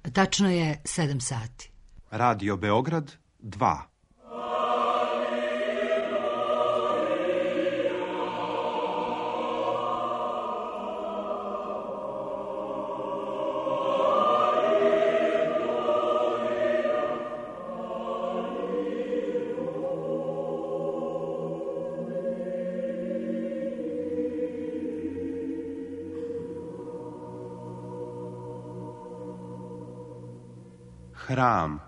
Tačno je 7 sati. Radio Beograd 2. Hram.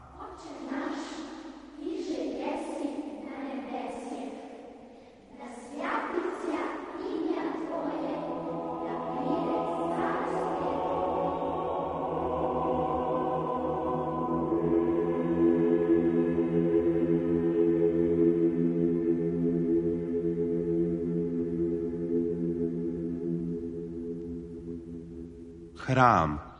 Hram.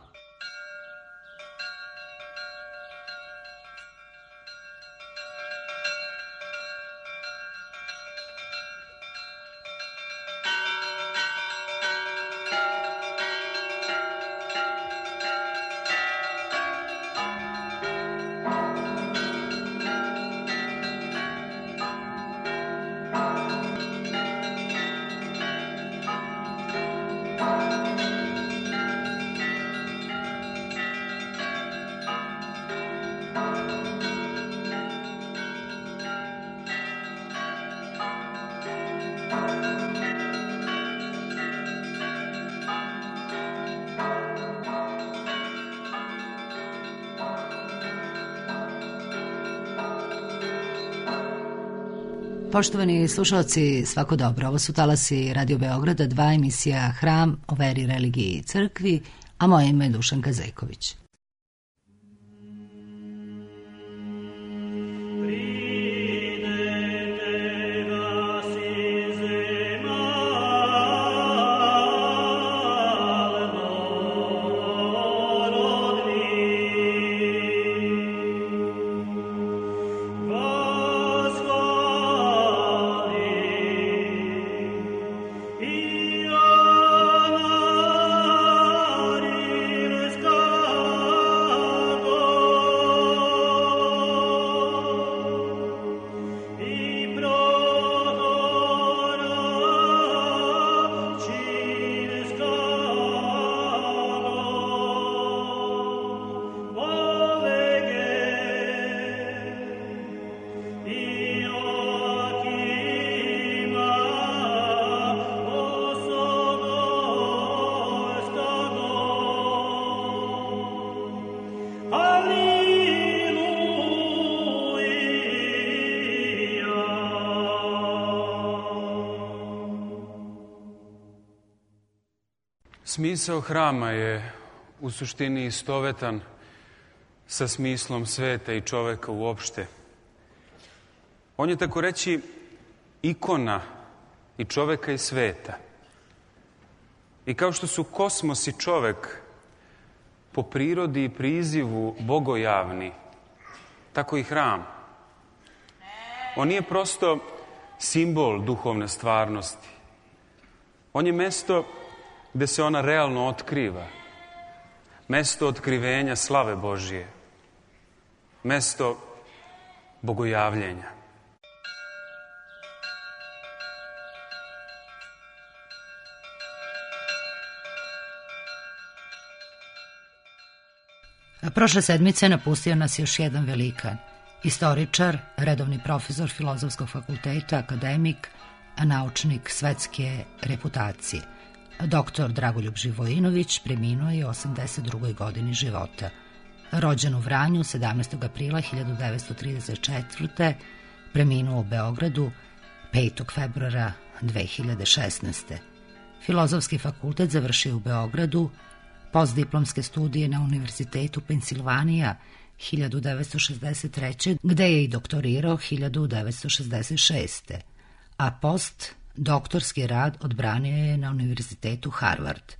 Poštovani slušalci, svako dobro. Ovo su talasi Radio Beograda 2, emisija Hram o veri, religiji i crkvi, a moje ime je Dušanka Zejković. Smisao hrama je u suštini istovetan sa smislom sveta i čoveka uopšte. On je, tako reći, ikona i čoveka i sveta. I kao što su kosmos i čovek po prirodi i prizivu bogojavni, tako i hram. On nije prosto simbol duhovne stvarnosti. On je mesto gde se ona realno otkriva. Mesto otkrivenja slave Božije. Mesto bogojavljenja. Prošle sedmice napustio nas još jedan velikan. Istoričar, redovni profesor Filozofskog fakulteta, akademik, a naučnik svetske reputacije. Doktor Dragoljub Živojinović preminuo je u 82. godini života. Rođen u Vranju 17. aprila 1934. Preminuo u Beogradu 5. februara 2016. Filozofski fakultet završio u Beogradu, postdiplomske studije na Univerzitetu Pensilvanija 1963. gde je i doktorirao 1966. A doktorski rad odbranio je na Univerzitetu Harvard.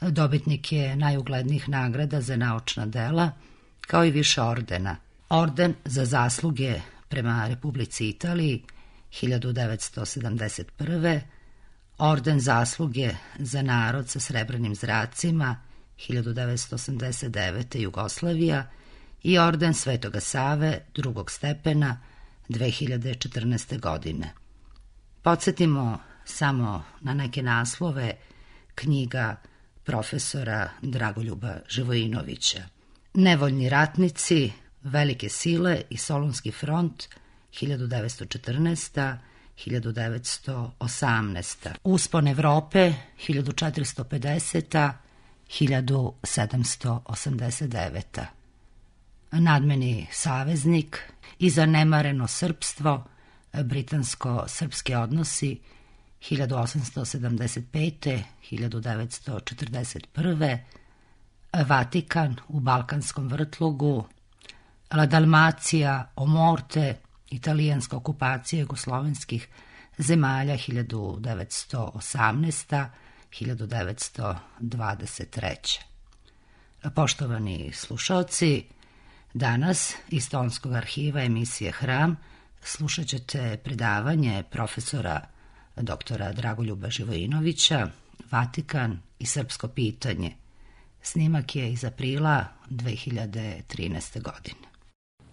Dobitnik je najuglednijih nagrada za naučna dela, kao i više ordena. Orden za zasluge prema Republici Italiji 1971. Orden zasluge za narod sa srebrnim zracima 1989. Jugoslavija i orden Svetoga Save drugog stepena 2014. godine. Podsjetimo samo na neke naslove knjiga profesora Dragoljuba Živojinovića. Nevoljni ratnici, Velike sile i Solunski front 1914. 1918. Uspon Evrope 1450. 1789. Nadmeni saveznik i zanemareno srpstvo, britansko-srpski odnosi 1875. 1941. Vatikan u Balkanskom vrtlogu, La Dalmacija o morte, italijanska okupacija jugoslovenskih zemalja 1918. 1923. Poštovani slušalci, danas iz Tonskog arhiva emisije Hram slušat ćete predavanje profesora doktora Dragoljuba Živojinovića, Vatikan i srpsko pitanje. Snimak je iz aprila 2013. godine.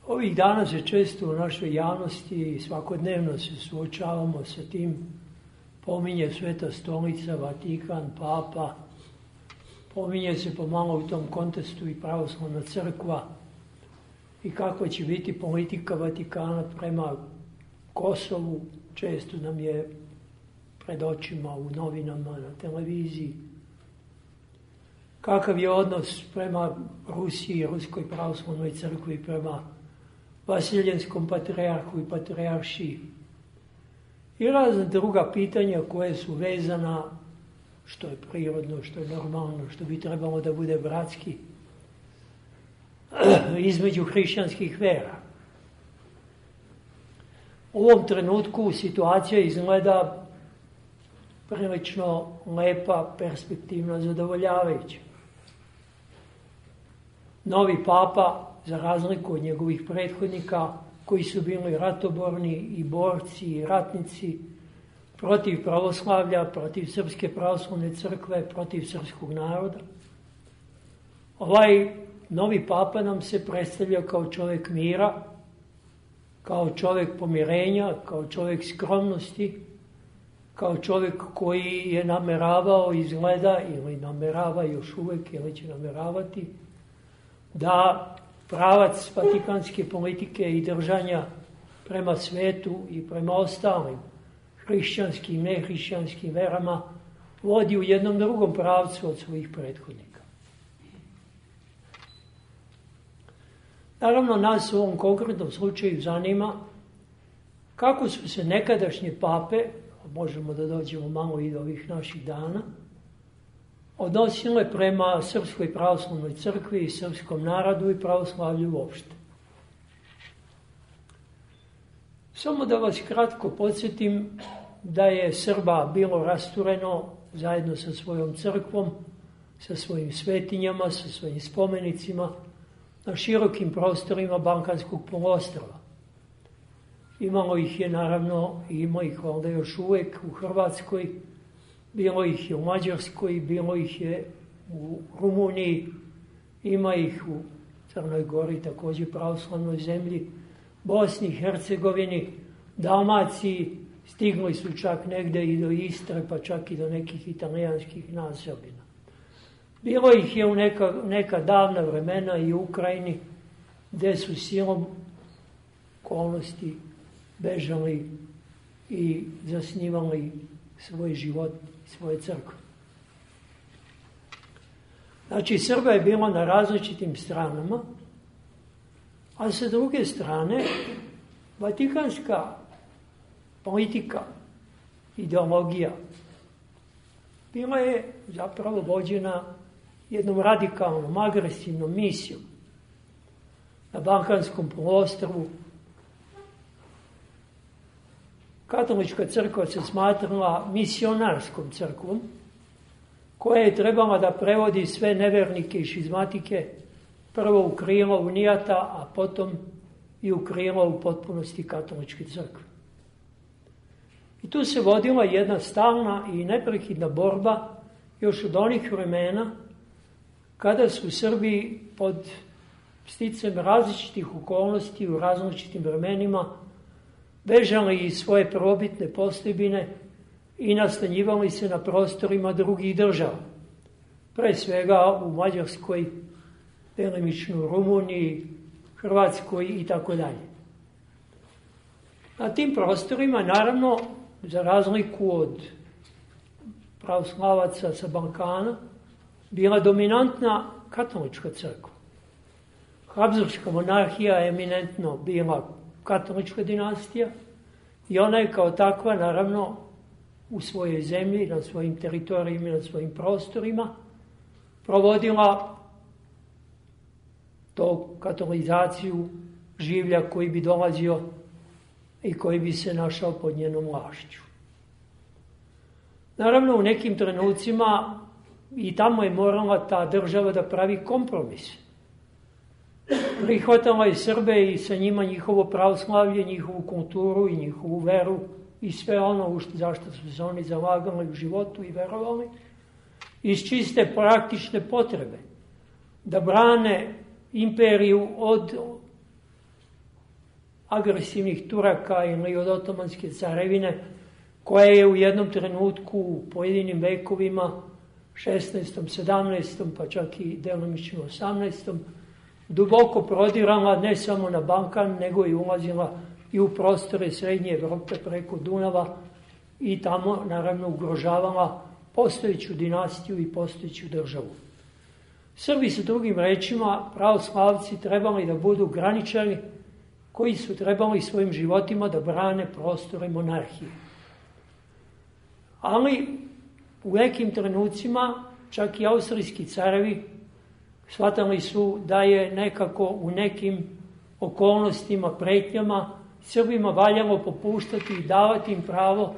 Ovih dana se često u našoj javnosti svakodnevno se suočavamo sa tim, pominje Sveta stolica, Vatikan, Papa, pominje se pomalo u tom kontekstu i pravoslavna crkva i kakva će biti politika Vatikana prema Kosovu, često nam je pred očima u novinama, na televiziji. Kakav je odnos prema Rusiji, Ruskoj pravoslavnoj crkvi, prema Vasiljenskom patrijarhu i patrijaršiji. I razne druga pitanja koje su vezana, što je prirodno, što je normalno, što bi trebalo da bude bratski, između hrišćanskih vera. U ovom trenutku situacija izgleda prilično lepa, perspektivna, zadovoljavajuća. Novi papa, za razliku od njegovih prethodnika, koji su bili ratoborni i borci i ratnici protiv pravoslavlja, protiv Srpske pravoslavne crkve, protiv srpskog naroda. Ovaj novi papa nam se predstavlja kao čovjek mira, kao čovjek pomirenja, kao čovjek skromnosti, kao čovjek koji je nameravao, izgleda ili namerava još uvijek ili će nameravati, da pravac vatikanske politike i držanja prema svetu i prema ostalim hrišćanskim i nehrišćanskim verama vodi u jednom drugom pravcu od svojih prethodnika. Naravno, nas u ovom konkretnom slučaju zanima kako su se nekadašnje pape, možemo da dođemo malo i do ovih naših dana, odnosile prema Srpskoj pravoslavnoj crkvi i srpskom narodu i pravoslavlju uopšte. Samo da vas kratko podsjetim da je Srba bilo rastureno zajedno sa svojom crkvom, sa svojim svetinjama, sa svojim spomenicima na širokim prostorima Balkanskog poluostrva. Imalo ih je naravno i ima ih valjda još uvek u Hrvatskoj, bilo ih je u Mađarskoj, bilo ih je u Rumuniji, ima ih u Crnoj Gori, također pravoslavnoj zemlji, Bosni i Hercegovini, Dalmaciji, stigli su čak negde i do Istre, pa čak i do nekih italijanskih naseobina. Bilo ih je u neka davna vremena i u Ukrajini, gde su silom okolnosti bežali i zasnivali svoj život i svoje crkve. Znači, Srba je bilo na različitim stranama, a sa druge strane, vatikanska politika, ideologija, bila je zapravo vođena jednom radikalnom, agresivnom misijom. Na Balkanskom poluostrvu katolička crkva se smatrala misionarskom crkvom, koja je trebala da prevodi sve nevernike i šizmatike prvo u krilo unijata, a potom i u krilo u potpunosti katoličke crkve. I tu se vodila jedna stalna i neprekidna borba još od onih vremena kada su Srbi pod sticajem različitih okolnosti u različitim vremenima bežali iz svoje probitne postojbine i nastanjivali se na prostorima drugih država. Pre svega u Mađarskoj, delimično u Rumuniji, Hrvatskoj i tako dalje. Na tim prostorima, naravno, za razliku od pravoslavaca sa Balkana, bila dominantna katolička crkva. Habsburška monarhija je eminentno bila katolička dinastija i ona je kao takva, naravno, u svojoj zemlji, na svojim teritorijima i na svojim prostorima provodila to katolizaciju življa koji bi dolazio i koji bi se našao pod njenom vlašću. Naravno, u nekim trenucima i tamo je morala ta država da pravi kompromis. Prihvatala je Srbe i sa njima njihovo pravoslavlje, njihovu kulturu i njihovu veru i sve ono zašto su se oni zalagali u životu i verovali, iz čiste praktične potrebe, da brane imperiju od agresivnih Turaka ili od Otomanske carevine, koja je u jednom trenutku u pojedinim vekovima, 16., 17., pa čak i delimično 18., duboko prodirala ne samo na Balkan, nego i ulazila i u prostore Srednje Evrope preko Dunava i tamo, naravno, ugrožavala postojeću dinastiju i postojeću državu. Srbi, sa drugim rečima, pravoslavci trebali da budu graničari koji su trebali svojim životima da brane prostore monarhije. Ali u nekim trenucima čak i austrijski carevi shvatali su da je nekako u nekim okolnostima, pretnjama Srbima valjalo popuštati i davati im pravo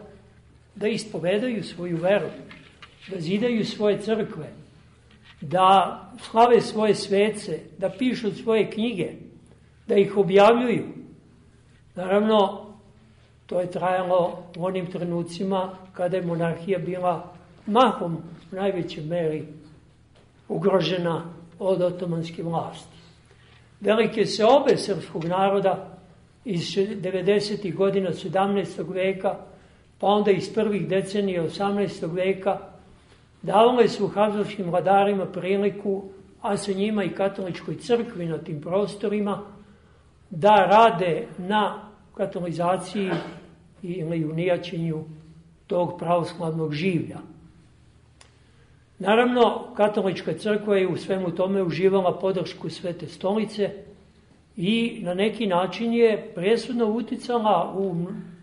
da ispovedaju svoju veru, da zidaju svoje crkve, da slave svoje svece, da pišu svoje knjige, da ih objavljuju. Naravno, to je trajalo u onim trenucima kada je monarhija bila mahom u najvećoj meri ugrožena od otomanske vlasti. Velike seobe srpskog naroda iz 90. godina 17. veka, pa onda iz prvih decenija 18. veka, davale su habsburškim vladarima priliku, a sa njima i katoličkoj crkvi na tim prostorima, da rade na katolizaciji ili unijaćenju tog pravoslavnog življa. Naravno, katolička crkva je u svemu tome uživala podršku Svete stolice i na neki način je presudno uticala u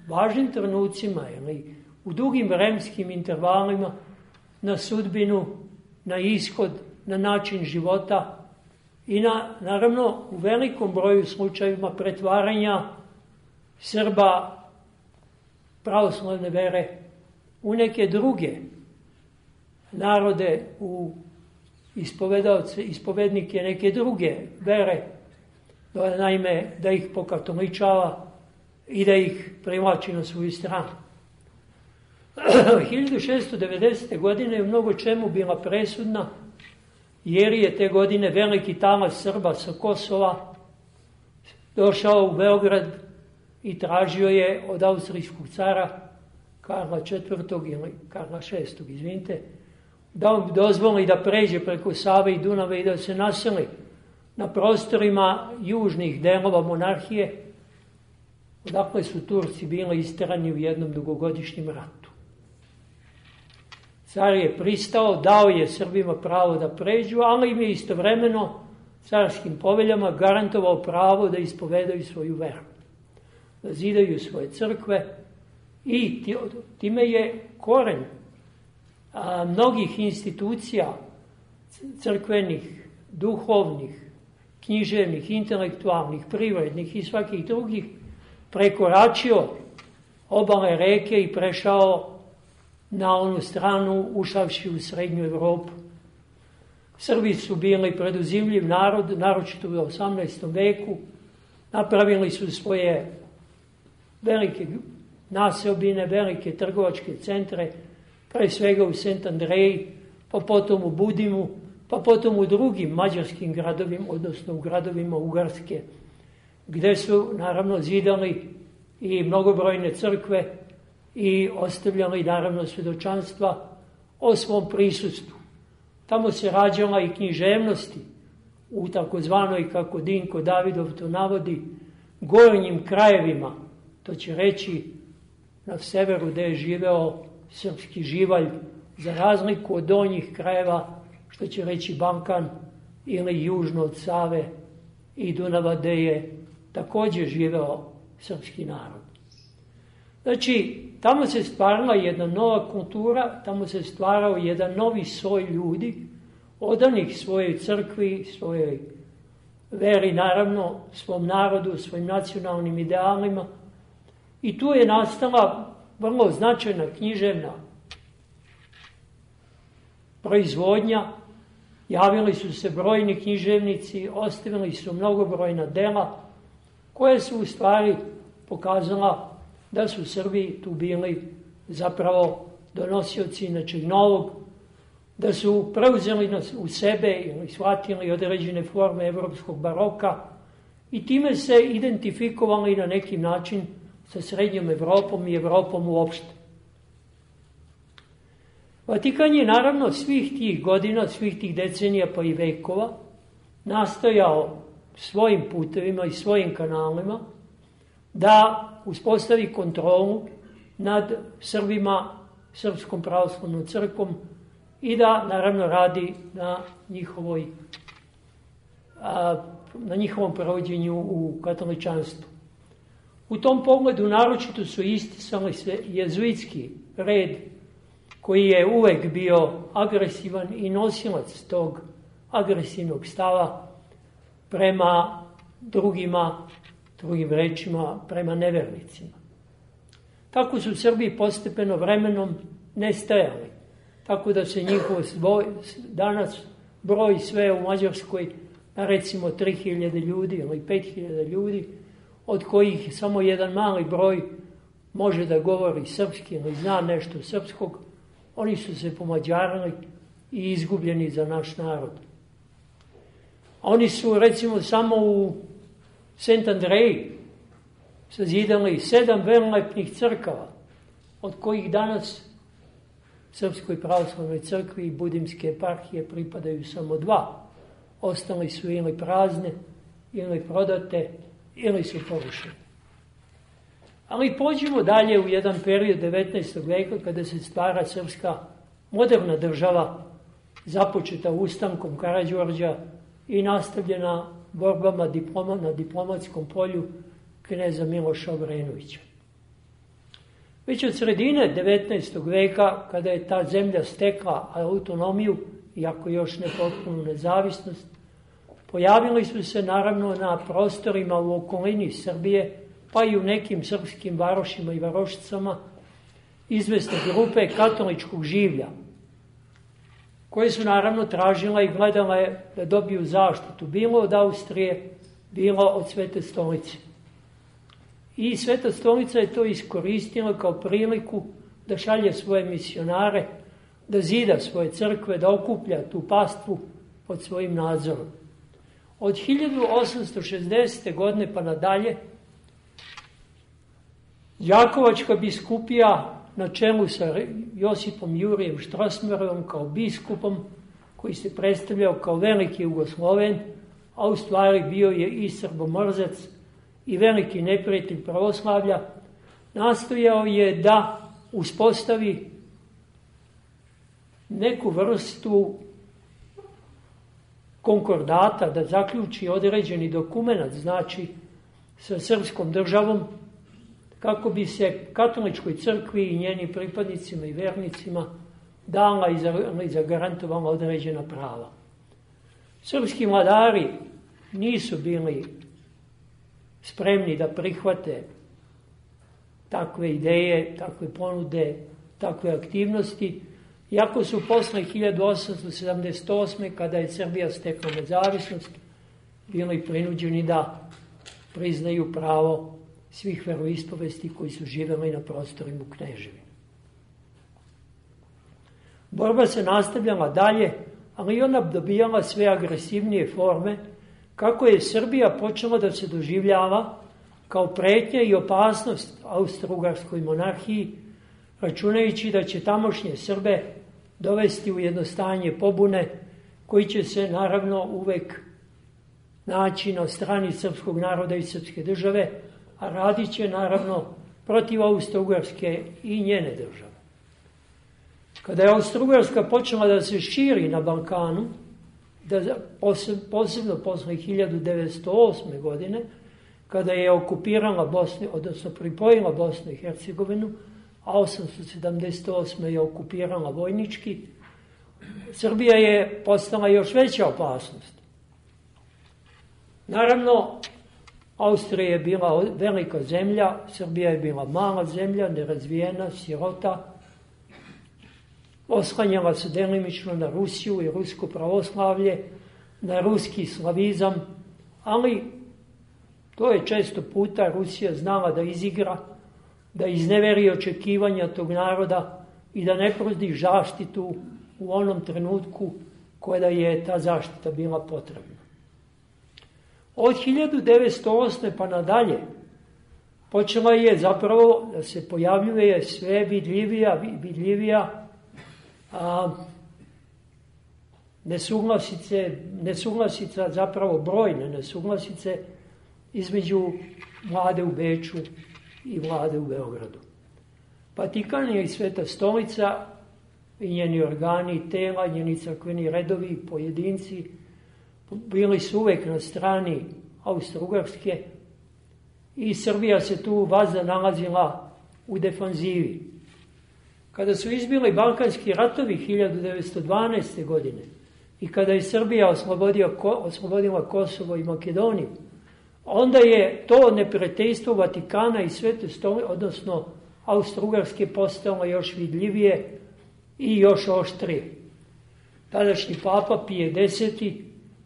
važnim trenucima ili u dugim vremenskim intervalima na sudbinu, na ishod, na način života i naravno u velikom broju slučajevima pretvaranja Srba pravoslavne vere u neke druge narode, u ispovednike neke druge vere, naime da ih pokatoličava i da ih privlači na svoju stranu. 1690. godine je u mnogo čemu bila presudna, jer je te godine veliki talas Srba sa Kosova došao u Beograd i tražio je od austrijskog cara Karla IV. Ili Karla VI. Izvinite, da mu dozvoli da pređe preko Save i Dunava i da se naseli na prostorima južnih delova monarhije, odakle su Turci bili isterani u jednom dugogodišnjem ratu. Car je pristao, dao je Srbima pravo da pređu, ali im je istovremeno carskim poveljama garantovao pravo da ispovedaju svoju veru, da zidaju svoje crkve i time je koren mnogih institucija crkvenih, duhovnih, književnih, intelektualnih, privrednih i svakih drugih prekoračio obale reke i prešao na onu stranu, ušavši u Srednju Evropu. Srbi su bili preduzimljiv narod, naročito u 18. veku. Napravili su svoje velike naseobine, velike trgovačke centre, pre svega u Sent Andreji, pa potom u Budimu, pa potom u drugim mađarskim gradovima, odnosno u gradovima Ugarske, gde su naravno zidali i mnogobrojne crkve i ostavljali naravno svjedočanstva o svom prisustvu. Tamo se rađala i književnosti u takozvanoj, kako Dinko Davidov to navodi, gornjim krajevima, to će reći na severu gde je živeo srpski živalj, za razliku od donjih krajeva, što će reći Balkan, ili južno od Save i Dunava, gde je također živeo srpski narod. Znači, tamo se stvarala jedna nova kultura, tamo se stvarao jedan novi soj ljudi, odanih svojoj crkvi, svojoj veri, naravno, svom narodu, svojim nacionalnim idealima. I tu je nastala vrlo značajna književna proizvodnja. Javili su se brojni književnici, ostavili su mnogobrojna dela, koje su u stvari pokazala da su Srbi tu bili zapravo donosioci nečeg novog, da su preuzeli u sebe ili shvatili određene forme evropskog baroka i time se identifikovali na neki način sa srednjom Evropom i Evropom uopšte. Vatikan je naravno svih tih godina, svih tih decenija pa i vekova nastojao svojim putevima i svojim kanalima da uspostavi kontrolu nad Srbima, Srpskom pravoslavnom crkvom i da naravno radi na njihovom provođenju u katoličanstvu. U tom pogledu naročito su isticali se jezuitski red koji je uvek bio agresivan i nosilac tog agresivnog stava prema drugima, drugim rečima, prema nevernicima. Tako su Srbi postepeno vremenom nestajali, tako da se njihov danas broj sve u Mađarskoj na recimo 3000 ljudi ili 5000 ljudi, od kojih samo jedan mali broj može da govori srpski ili zna nešto srpskog. Oni su se pomađarili i izgubljeni za naš narod. Oni su recimo samo u Sent Andreji sazidali 7 velelepnih crkava, od kojih danas Srpskoj pravoslavnoj crkvi i Budimske eparhije pripadaju samo 2. Ostali su ili prazne, ili prodate, ili su porušene. Ali pođimo dalje u jedan period 19. veka kada se stvara srpska moderna država, započeta ustankom Karađorđa i nastavljena borbama na diplomatskom polju kneza Miloša Obrenovića. Već od sredine 19. veka, kada je ta zemlja stekla autonomiju, iako još ne potpunu nezavisnost, pojavili su se naravno na prostorima u okolini Srbije, pa i u nekim srpskim varošima i varošicama, izvesne grupe katoličkog življa, koje su naravno tražile i gledale da dobiju zaštitu, bilo od Austrije, bilo od Svete stolice. I Sveta stolica je to iskoristila kao priliku da šalje svoje misionare, da zida svoje crkve, da okuplja tu pastvu pod svojim nadzorom. Od 1860. godine pa nadalje, Đakovačka biskupija na čelu sa Josipom Jurijem Štrosmajerom kao biskupom, koji se predstavljao kao veliki Jugosloven, a u stvari bio je i srbomrzac i veliki neprijatelj pravoslavlja, nastojao je da uspostavi neku vrstu konkordata, da zaključi određeni dokument, znači sa srpskom državom, kako bi se katoličkoj crkvi i njenim pripadnicima i vernicima dala i zagarantovala određena prava. Srpski vladari nisu bili spremni da prihvate takve ideje, takve ponude, takve aktivnosti, iako su posle 1878. kada je Srbija stekla nezavisnost, bili prinuđeni da priznaju pravo svih veroispovesti koji su živeli na prostorima Kneževine. Borba se nastavljala dalje, ali ona dobijala sve agresivnije forme, kako je Srbija počela da se doživljava kao pretnja i opasnost Austro-Ugarskoj monarhiji, računajući da će tamošnje Srbe dovesti u jedno stanje pobune, koji će se naravno uvek naći na strani srpskog naroda i srpske države, a radit će naravno protiv Austro-Ugarske i njene države. Kada je Austro-Ugarska počela da se širi na Balkanu, posebno posle 1908. godine, kada je okupirala Bosnu, odnosno pripojila Bosnu i Hercegovinu, a 878. je okupirala vojnički, Srbija je postala još veća opasnost. Naravno, Austrija je bila velika zemlja, Srbija je bila mala zemlja, nerazvijena, sirota, oslanjala se delimično na Rusiju i rusko pravoslavlje, na ruski slavizam, ali to je često puta Rusija znala da izigra, da izneveri očekivanja tog naroda i da ne pruži zaštitu u onom trenutku kada je ta zaštita bila potrebna. Od 1908. pa nadalje počela je zapravo da se pojavljuje sve vidljivija nesuglasica, zapravo brojne nesuglasice između vlade u Beču i vlade u Beogradu. Vatikan je i Sveta stolica i njeni organi, tela, njeni crkveni redovi, pojedinci, bili su uvek na strani Austro-Ugarske i Srbija se tu vazda nalazila u defanzivi. Kada su izbili Balkanski ratovi 1912. godine i kada je Srbija oslobodila Kosovo i Makedoniju, onda je to neprijateljstvo Vatikana i Svete stolice, odnosno Austro-Ugarske, postalo još vidljivije i još oštrije. Tadašnji papa Pije X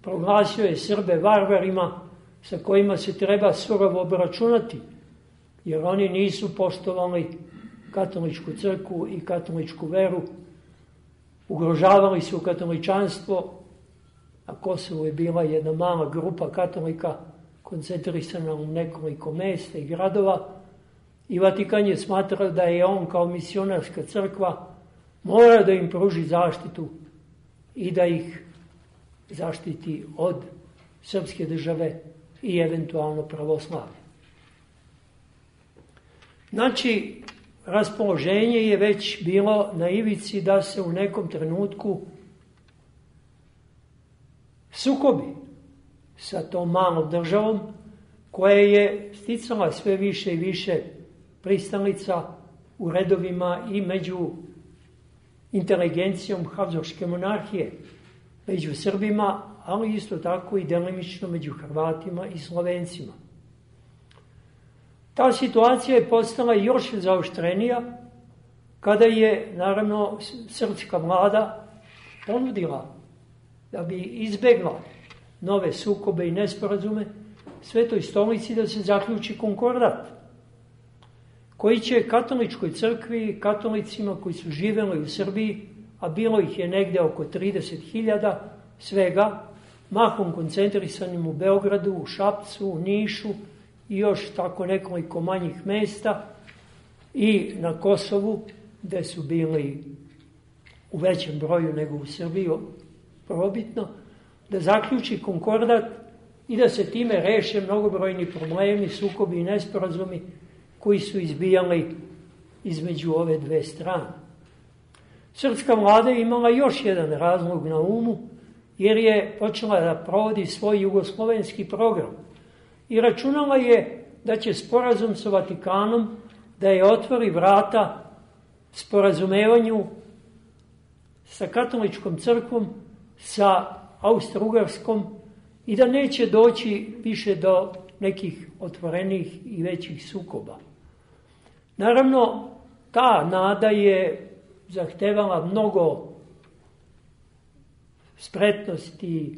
proglasio je Srbe varvarima sa kojima se treba surovo obračunati, jer oni nisu poštovali katoličku crkvu i katoličku veru, ugrožavali su katoličanstvo, a Kosovo je bila jedna mala grupa katolika koncentrisana u nekoliko mesta i gradova, i Vatikan je smatrao da je on kao misionarska crkva mora da im pruži zaštitu i da ih zaštiti od srpske države i eventualno pravoslavlje. Znači, raspoloženje je već bilo na ivici da se u nekom trenutku sukobi sa tom malom državom koja je sticala sve više i više pristalica u redovima i među inteligencijom Habsburške monarhije, među Srbima, ali isto tako i delimično među Hrvatima i Slovencima. Ta situacija je postala još zaoštrenija kada je, naravno, srpska vlada ponudila da bi izbegla nove sukobe i nesporazume Svetoj stolici da se zaključi konkordat, koji će katoličkoj crkvi, katolicima koji su živeli u Srbiji, a bilo ih je negde oko 30.000 svega, mahom koncentrisanim u Beogradu, u Šapcu, u Nišu i još tako nekoliko manjih mesta, i na Kosovu, gde su bili u većem broju nego u Srbiji, probitno, da zaključi konkordat i da se time reše mnogobrojni problemi, sukobi i nesporazumi koji su izbijali između ove dve strane. Srpska vlada je imala još jedan razlog na umu, jer je počela da provodi svoj jugoslovenski program i računala je da će sporazum sa Vatikanom da je otvori vrata sporazumevanju sa katoličkom crkvom, sa Austro-Ugarskom, i da neće doći više do nekih otvorenih i većih sukoba. Naravno, ta nada je zahtevala mnogo spretnosti,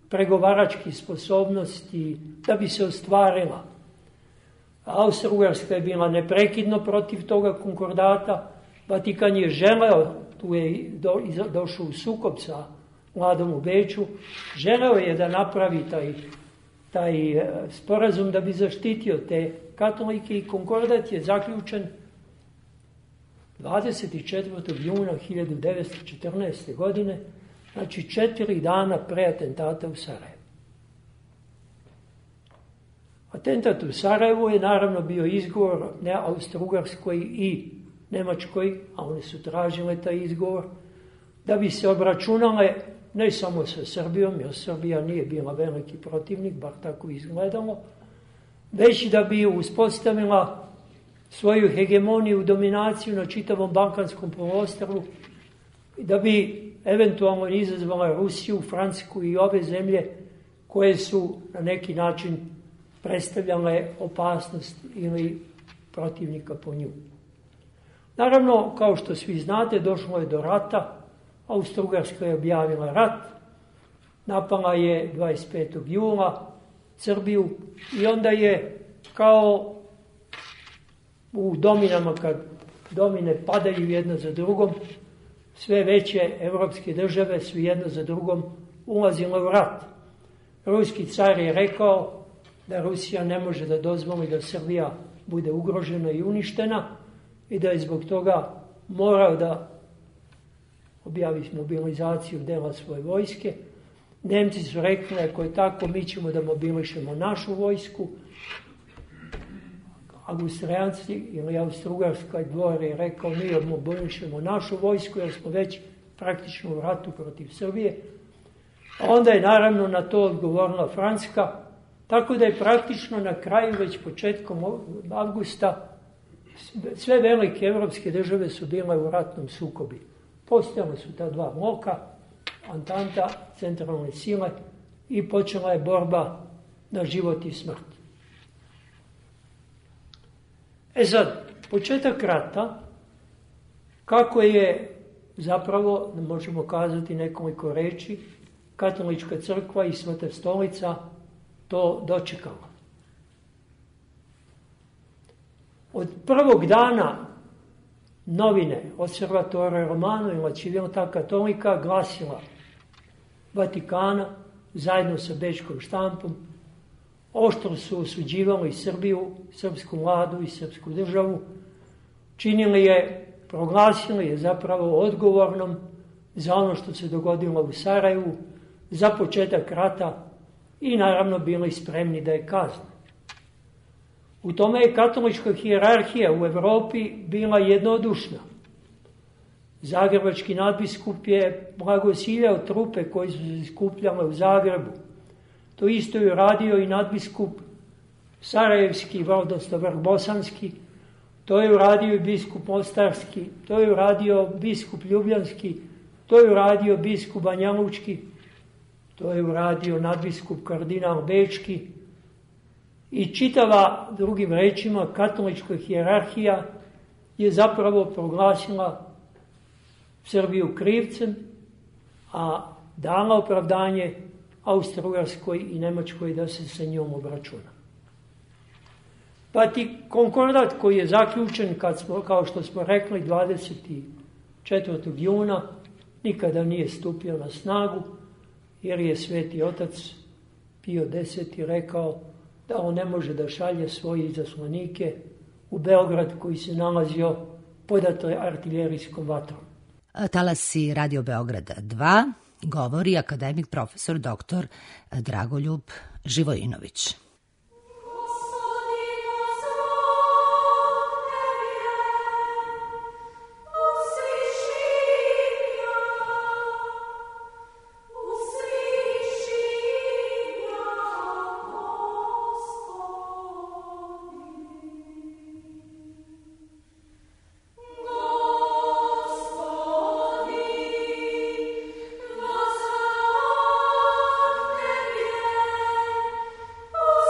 pregovaračkih sposobnosti da bi se ostvarila. Austro-Ugarska je bila neprekidno protiv toga konkordata, Vatikan je želeo, tu je došao u sukob sa vladom u Beču, želeo je da napravi taj sporazum da bi zaštitio te katolike i konkordat je zaključen 24. juna 1914. godine, znači 4 dana pre atentata u Sarajevu. Atentat u Sarajevu je naravno bio izgovor ne Austro-Ugarskoj i Nemačkoj, a one su tražile taj izgovor, da bi se obračunale ne samo sa Srbijom, jer Srbija nije bila veliki protivnik, bar tako izgledalo, već da bi uspostavila svoju hegemoniju, dominaciju na čitavom Balkanskom poluostrvu i da bi eventualno izazvala Rusiju, Francusku i ove zemlje koje su na neki način predstavljale opasnost ili protivnika po nju. Naravno, kao što svi znate, došlo je do rata. Austro-Ugarska je objavila rat, napala je 25. jula Srbiju i onda je kao u dominama, kad domine padaju jedna za drugom, sve veće evropske države su jedna za drugom ulazile u rat. Ruski car je rekao da Rusija ne može da dozvoli da Srbija bude ugrožena i uništena i da je zbog toga morao da objavi mobilizaciju dela svoje vojske. Nemci su rekli, ako je tako, mi ćemo da mobilišemo našu vojsku. Austrijanci ili Austro-Ugarska dvor je rekao, mi mobilišemo našu vojsku jer smo već praktično u ratu protiv Srbije. A onda je naravno na to odgovorila Francuska, tako da je praktično na kraju, već početkom avgusta, sve velike evropske države su bile u ratnom sukobi. Postojale su ta dva bloka, Antanta, centralne sile, i počela je borba na život i smrt. Sad, početak rata, kako je zapravo, možemo kazati nekoliko reči, Katolička crkva i Sveta stolica to dočekala. Od prvog dana novine Osservatore Romano i La Civiltà Cattolica glasila Vatikana zajedno sa bečkom štampom oštro su osuđivali Srbiju, srpsku vladu i srpsku državu, činili je, proglasili je zapravo odgovornom za ono što se dogodilo u Sarajevu, za početak rata i naravno bili spremni da je kazne. U tome je katolička hijerarhija u Evropi bila jednodušna. Zagrebački nadbiskup je blagosiljao trupe koji su se skupljale u Zagrebu. To isto je uradio i nadbiskup Sarajevski, odnosno Vrbosanski, to je uradio i biskup Mostarski, to je uradio biskup Ljubljanski, to je uradio biskup Banjalučki, to je uradio nadbiskup kardinal Bečki i čitava, drugim rečima, katolička hijerarhija je zapravo proglasila Srbiju krivcem, a dala opravdanje Austro-Ugarskoj i Nemačkoj da se sa njom obračuna. Pa ti konkordat koji je zaključen, kao što smo rekli, 24. juna, nikada nije stupio na snagu, jer je Sveti Otac Pio X rekao da on ne može da šalje svoje izaslanike u Beograd koji se nalazio pod artiljerijskom vatrom. Talasi Radio Beograda 2 govori akademik profesor dr. Dragoljub Živojinović. Oh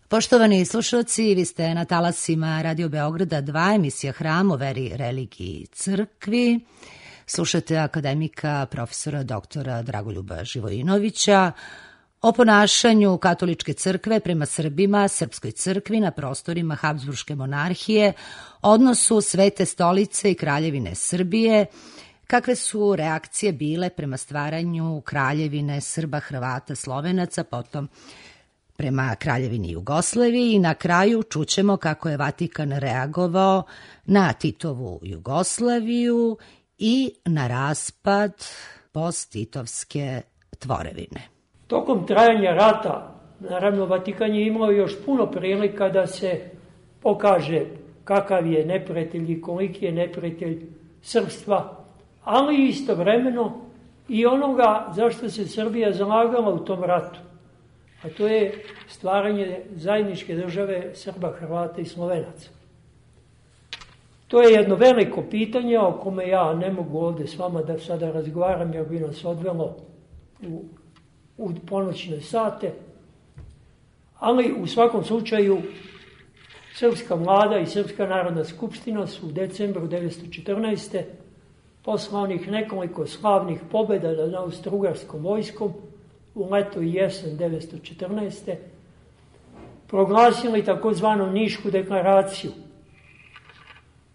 Poštovani slušalci, vi ste na talasima Radio Beograda 2, emisija Hram o veri, religiji i crkvi. Slušate akademika profesora doktora Dragoljuba Živojinovića o ponašanju katoličke crkve prema Srbima, srpskoj crkvi na prostorima Habsburške monarhije, odnosu Svete stolice i Kraljevine Srbije, kakve su reakcije bile prema stvaranju Kraljevine Srba, Hrvata, Slovenaca, potom prema Kraljevini Jugoslaviji i na kraju čućemo kako je Vatikan reagovao na Titovu Jugoslaviju i na raspad post-titovske tvorevine. Tokom trajanja rata, naravno, Vatikan je imao još puno prilika da se pokaže kakav je neprijatelj i koliki je neprijatelj srpstva, ali istovremeno i onoga zašto se Srbija zalagala u tom ratu. A to je stvaranje zajedničke države Srba, Hrvata i Slovenaca. To je jedno veliko pitanje o kome ja ne mogu ovde s vama da sada razgovaram, jer bi nas odvelo u ponoćne sate. Ali u svakom slučaju srpska vlada i Srpska narodna skupština su u decembru 1914. posle onih nekoliko slavnih pobjeda nad austrougarskom vojskom u leto i jesen 1914. proglasili takozvanu Nišku deklaraciju.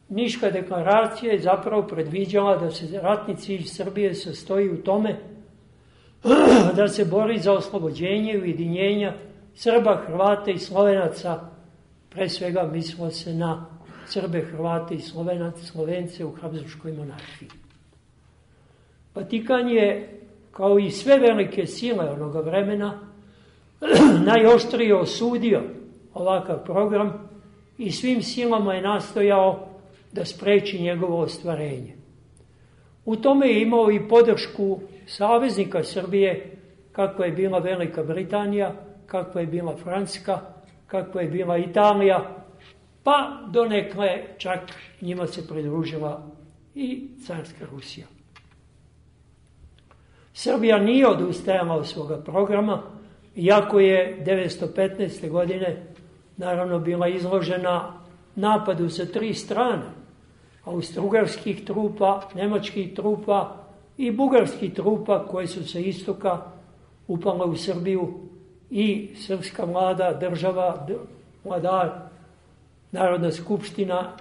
Niška deklaracija je zapravo predviđala da se ratni cilj Srbije sastoji u tome da se bori za oslobođenje i ujedinjenja Srba, Hrvata i Slovenaca, pre svega mislilo se na Srbe, Hrvate i Slovence u Habsburškoj monarhiji. Vatikan je, kao i sve velike sile onoga vremena, najoštrije osudio ovakav program i svim silama je nastojao da spreči njegovo ostvarenje. U tome je imao i podršku saveznika Srbije, kakva je bila Velika Britanija, kakva je bila Francuska, kakva je bila Italija, pa donekle čak njima se pridružila i carska Rusija. Srbija nije odustajala od svoga programa, iako je 1915. godine naravno bila izložena napadu sa 3 strane, austrougarskih trupa, nemačkih trupa i bugarskih trupa koje su sa istoka upale u Srbiju i srpska vlada, država, vladar, Narodna skupština,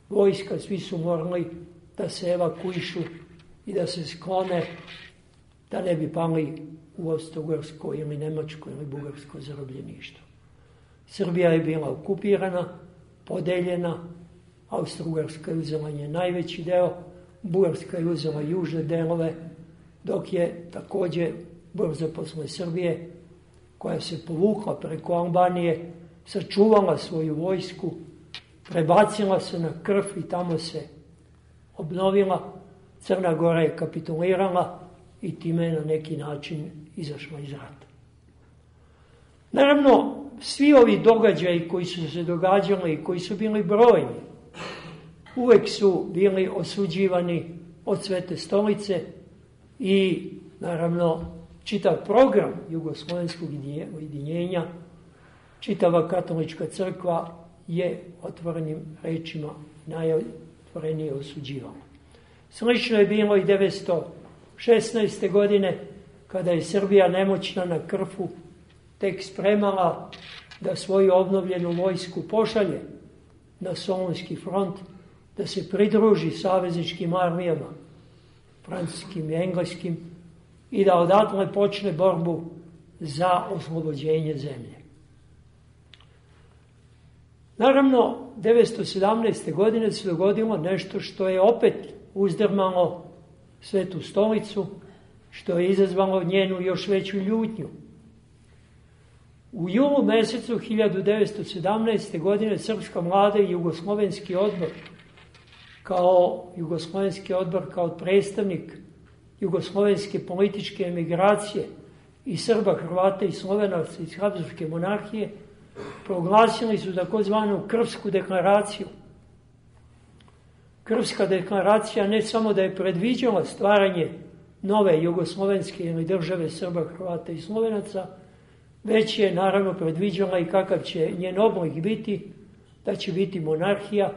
vojska, svi su morali da se evakuišu i da se sklone da ne bi pali u austrougarsko ili nemačko ili bugarsko zarobljeništvo. Srbija je bila okupirana, podeljena, Austrougarska je uzela nje najveći deo, Bugarska je uzela južne delove, dok je takođe brzo posle Srbije, koja se povukla preko Albanije, sačuvala svoju vojsku, prebacila se na Krf i tamo se obnovila, Crna Gora je kapitulirala i time je na neki način izašla iz rata. Naravno, svi ovi događaji koji su se događali i koji su bili brojni, uvek su bili osuđivani od Svete stolice i, naravno, čitav program jugoslovenskog ujedinjenja, čitava katolička crkva je otvorenim rečima najotvorenije osuđivala. Slično je bilo i 1916. godine, kada je Srbija nemoćna na Krfu tek spremala da svoju obnovljenu vojsku pošalje na Solunski front, da se pridruži savezničkim armijama, francuskim i engleskim, i da odatle počne borbu za oslobođenje zemlje. Naravno, 1917. godine se dogodilo nešto što je opet uzdrmalo Svetu stolicu, što je izazvalo njenu još veću ljutnju. U julu mesecu 1917. godine Srpska vlada i Jugoslovenski odbor, kao predstavnik jugoslovenske političke emigracije i Srba, Hrvata i Slovenaca iz Habsburške monarhije, proglasili su takozvanu Krfsku deklaraciju. Krfska deklaracija ne samo da je predviđala stvaranje nove jugoslovenske ili države Srba, Hrvata i Slovenaca, već je naravno predviđala i kakav će njen oblik biti, da će biti monarhija,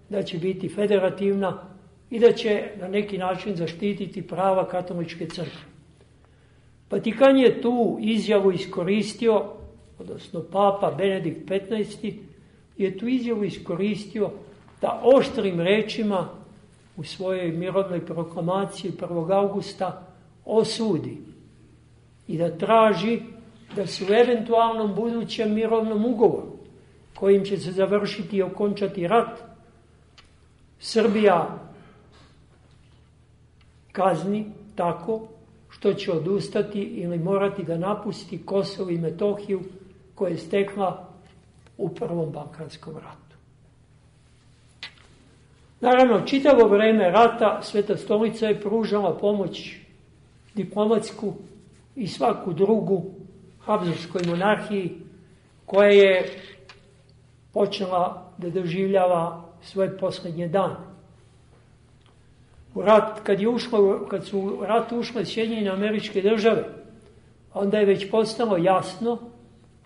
da će biti federativna i da će na neki način zaštititi prava katoličke crkve. Vatikan je tu izjavu iskoristio, odnosno Papa Benedikt XV je tu izjavu iskoristio da oštrim rečima u svojoj mirovnoj proklamaciji 1. augusta osudi i da traži da se u eventualnom budućem mirovnom ugovoru, kojim će se završiti i okončati rat, Srbija kazni tako što će odustati ili morati da napusti Kosovo i Metohiju koje je stekla u Prvom Balkanskom ratu. Naravno, čitavo vreme rata Sveta stolica je pružala pomoć diplomatsku i svaku drugu Habsburškoj monarhiji koja je počela da doživljava svoje posljednje dane. Kad su u rat ušle Sjedinjene Američke Države, onda je već postalo jasno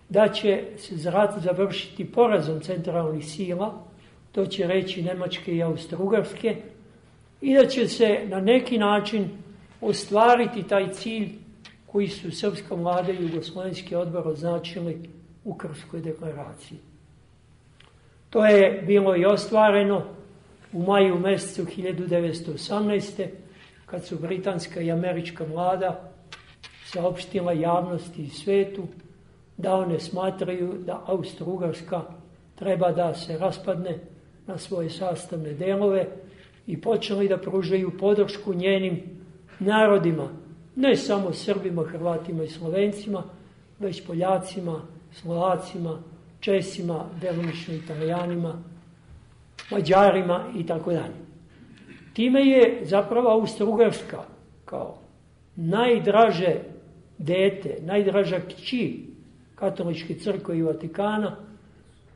da će se rat završiti porazom centralnih sila, to će reći Nemačke i Austro-Ugarske, i da će se na neki način ostvariti taj cilj koji su srpska vlada i Jugoslovenski odbor označili u Krfskoj deklaraciji. To je bilo i ostvareno u maju mesecu 1918. kad su britanska i američka vlada saopštila javnosti i svetu da one smatraju da Austro-Ugarska treba da se raspadne na svoje sastavne delove i počeli da pružaju podršku njenim narodima, ne samo Srbima, Hrvatima i Slovencima, već Poljacima, Slovacima, Česima, delimično Italijanima, Mađarima i tako dalje. Time je zapravo Austro-Ugarska kao najdraže dete, najdraža kći katoličke crkve i Vatikana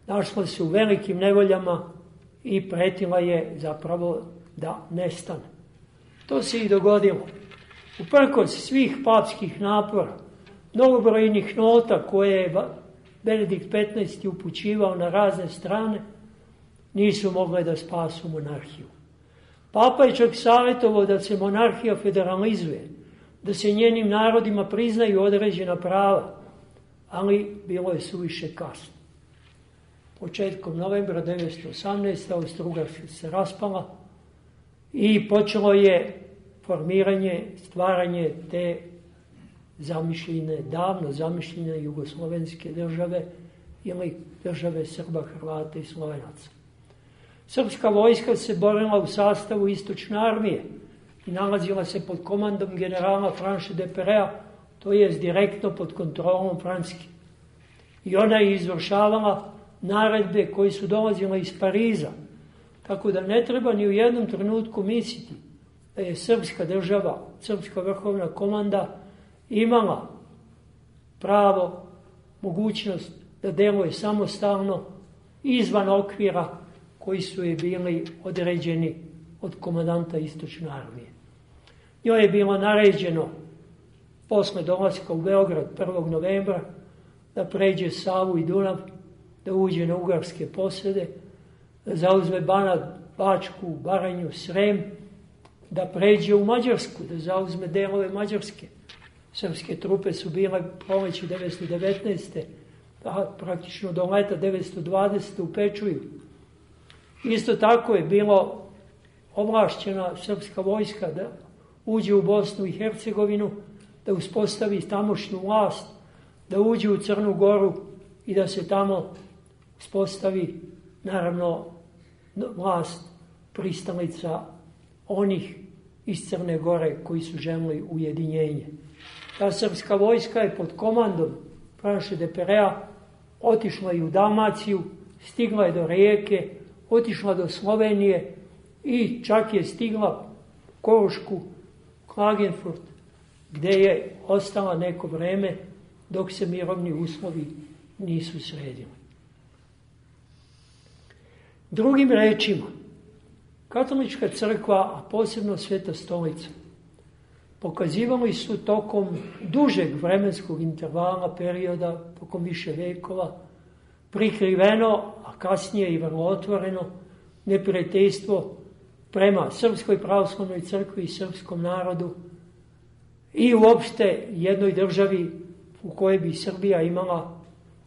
našla se u velikim nevoljama i pretila je zapravo da nestane. To se i dogodilo. Uprkos svih papskih napora, mnogobrojnih nota koje je Benedikt XV upućivao na razne strane, nisu mogle da spasu monarhiju. Papa je čak savjetovao da se monarhija federalizuje, da se njenim narodima priznaju određena prava, ali bilo je suviše kasno. Početkom novembra 1918. Austro-Ugarska se raspala i počelo je formiranje, stvaranje te zamišljene, davno zamišljene jugoslovenske države ili države Srba, Hrvata i Slovenaca. Srpska vojska se borila u sastavu Istočne armije i nalazila se pod komandom generala Franše de Perea, to je direktno pod kontrolom Francuske. I ona je izvršavala naredbe koje su dolazile iz Pariza, tako da ne treba ni u jednom trenutku misliti da je srpska država, srpska vrhovna komanda imala pravo, mogućnost da deluje samostalno izvan okvira koji su je bili određeni od komandanta Istočne armije. Njoj je bilo naređeno posle dolaska u Beograd 1. novembra da pređe Savu i Dunav, da uđe na ugarske posede, da zauzme Banat, Bačku, Baranju, Srem, da pređe u Mađarsku, da zauzme delove Mađarske. Srpske trupe su bile proleće 1919. Praktično do leta 1920. u Pečuju. Isto tako je bilo ovlašćena srpska vojska da uđe u Bosnu i Hercegovinu, da uspostavi tamošnju vlast, da uđe u Crnu Goru i da se tamo uspostavi, naravno, vlast pristalica onih iz Crne Gore koji su želili ujedinjenje. Ta srpska vojska je pod komandom Franše de Perea otišla i u Dalmaciju, stigla je do Rijeke, otišla do Slovenije i čak je stigla Korušku, Klagenfurt, gde je ostala neko vreme dok se mirovni uslovi nisu sredili. Drugim rečima, katolička crkva, a posebno Sveta stolica, pokazivali su tokom dužeg vremenskog intervala, perioda, tokom više vekova, prikriveno, a kasnije i vrlo otvoreno, neprijateljstvo prema Srpskoj pravoslavnoj crkvi i srpskom narodu i uopšte jednoj državi u kojoj bi Srbija imala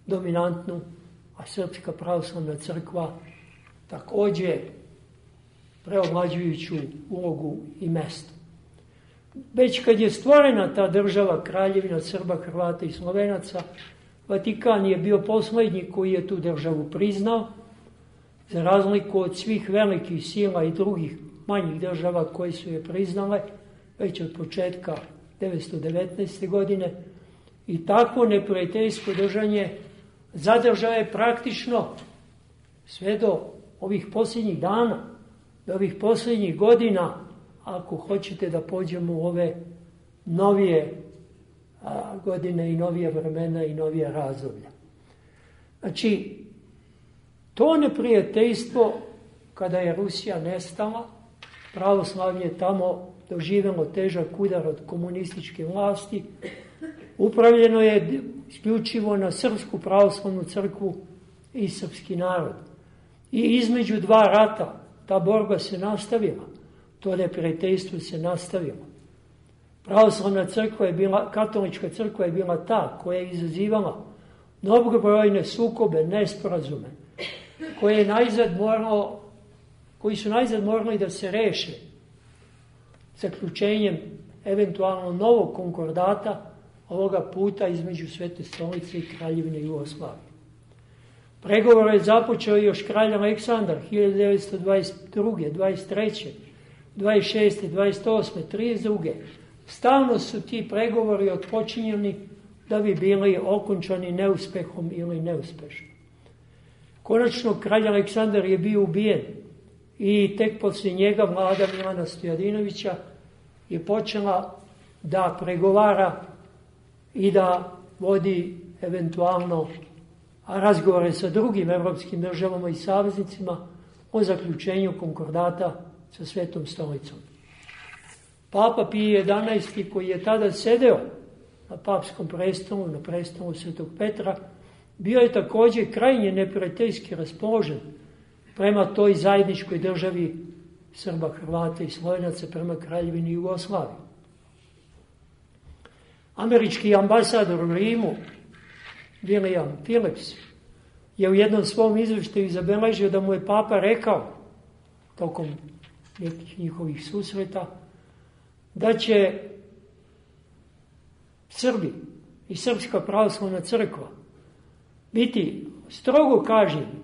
dominantnu, a Srpska pravoslavna crkva takođe preovlađujuću ulogu i mesto. Već kad je stvorena ta država, Kraljevina Srba, Hrvata i Slovenaca, Vatikan je bio poslednji koji je tu državu priznao, za razliku od svih velikih sila i drugih manjih država koje su je priznale već od početka 1919. godine. I takvo neprijateljsko držanje zadržao je praktično sve do ovih posljednjih dana, do ovih posljednjih godina, ako hoćete da pođemo u ove novije godine i novije vremena i novije razdoblja. Znači, to neprijateljstvo, kada je Rusija nestala, pravoslavlje je tamo doživjelo težak udar od komunističke vlasti, upravljeno je isključivo na Srpsku pravoslavnu crkvu i srpski narod. I između dva rata ta borba se nastavila, to neprijateljstvo se nastavilo. Pravoslavna crkva je bila, katolička crkva je bila ta koja je izazivala mnogobrojne sukobe, nesporazume, koji su najzad morali da se reše zaključenjem eventualno novog konkordata, ovoga puta između Svete stolice i Kraljevine Jugoslavije. Pregovor je započeo još kralj Aleksandar 1922. 23. 26. 28. 32. Stalno su ti pregovori otpočinjeni da bi bili okončani neuspehom ili neuspešno. Konačno, kralj Aleksandar je bio ubijen i tek poslije njega vlada Milana Stojadinovića je počela da pregovara i da vodi eventualno razgovore sa drugim evropskim državama i saveznicima o zaključenju konkordata sa Svetom stolicom. Papa Pije XI, koji je tada sedeo na papskom prestolu, na prestolu Svetog Petra, bio je također krajnje neprijateljski raspoložen prema toj zajedničkoj državi Srba, Hrvata i Slovenaca, prema Kraljevini Jugoslavije. Američki ambasador u Rimu, William Phillips, je u jednom svom izveštaju zabeležio da mu je papa rekao, tokom nekih njihovih susreta, da će Srbi i Srpska pravoslavna crkva biti strogo kažnjeni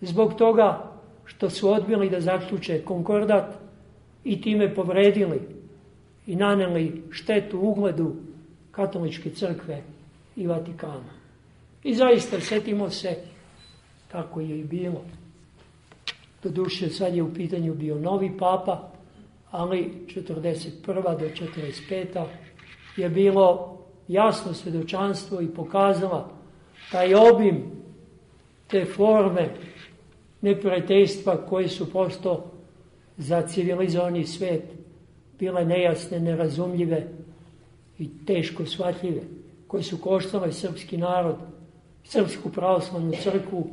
zbog toga što su odbili da zaključe konkordat i time povredili i naneli štetu ugledu katoličke crkve i Vatikana. I zaista, setimo se, tako je i bilo. Doduše, sad je u pitanju bio novi papa, ali 41. do 45. je bilo jasno svedočanstvo i pokazala taj obim, te forme neprijateljstva koje su posto za civilizovani svet bile nejasne, nerazumljive i teško shvatljive, koje su koštale srpski narod, Srpsku pravoslavnu crkvu,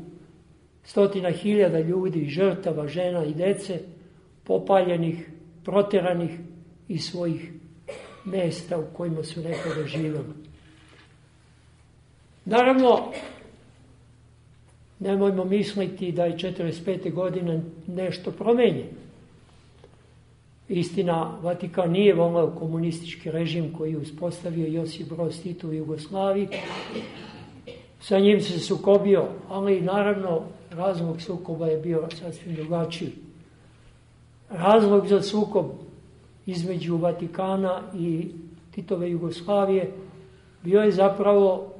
100.000 ljudi, žrtava, žena i dece, popaljenih, proteranih iz svojih mesta u kojima su nekada živjeli. Naravno, nemojmo misliti da je 45. godine nešto promenjeno. Istina, Vatikan nije voleo komunistički režim koji je uspostavio Josip Broz Tito u Jugoslaviji. Sa njim se sukobio, ali naravno razlog sukoba je bio sasvim drugačiji. Razlog za sukob između Vatikana i Titove Jugoslavije bio je zapravo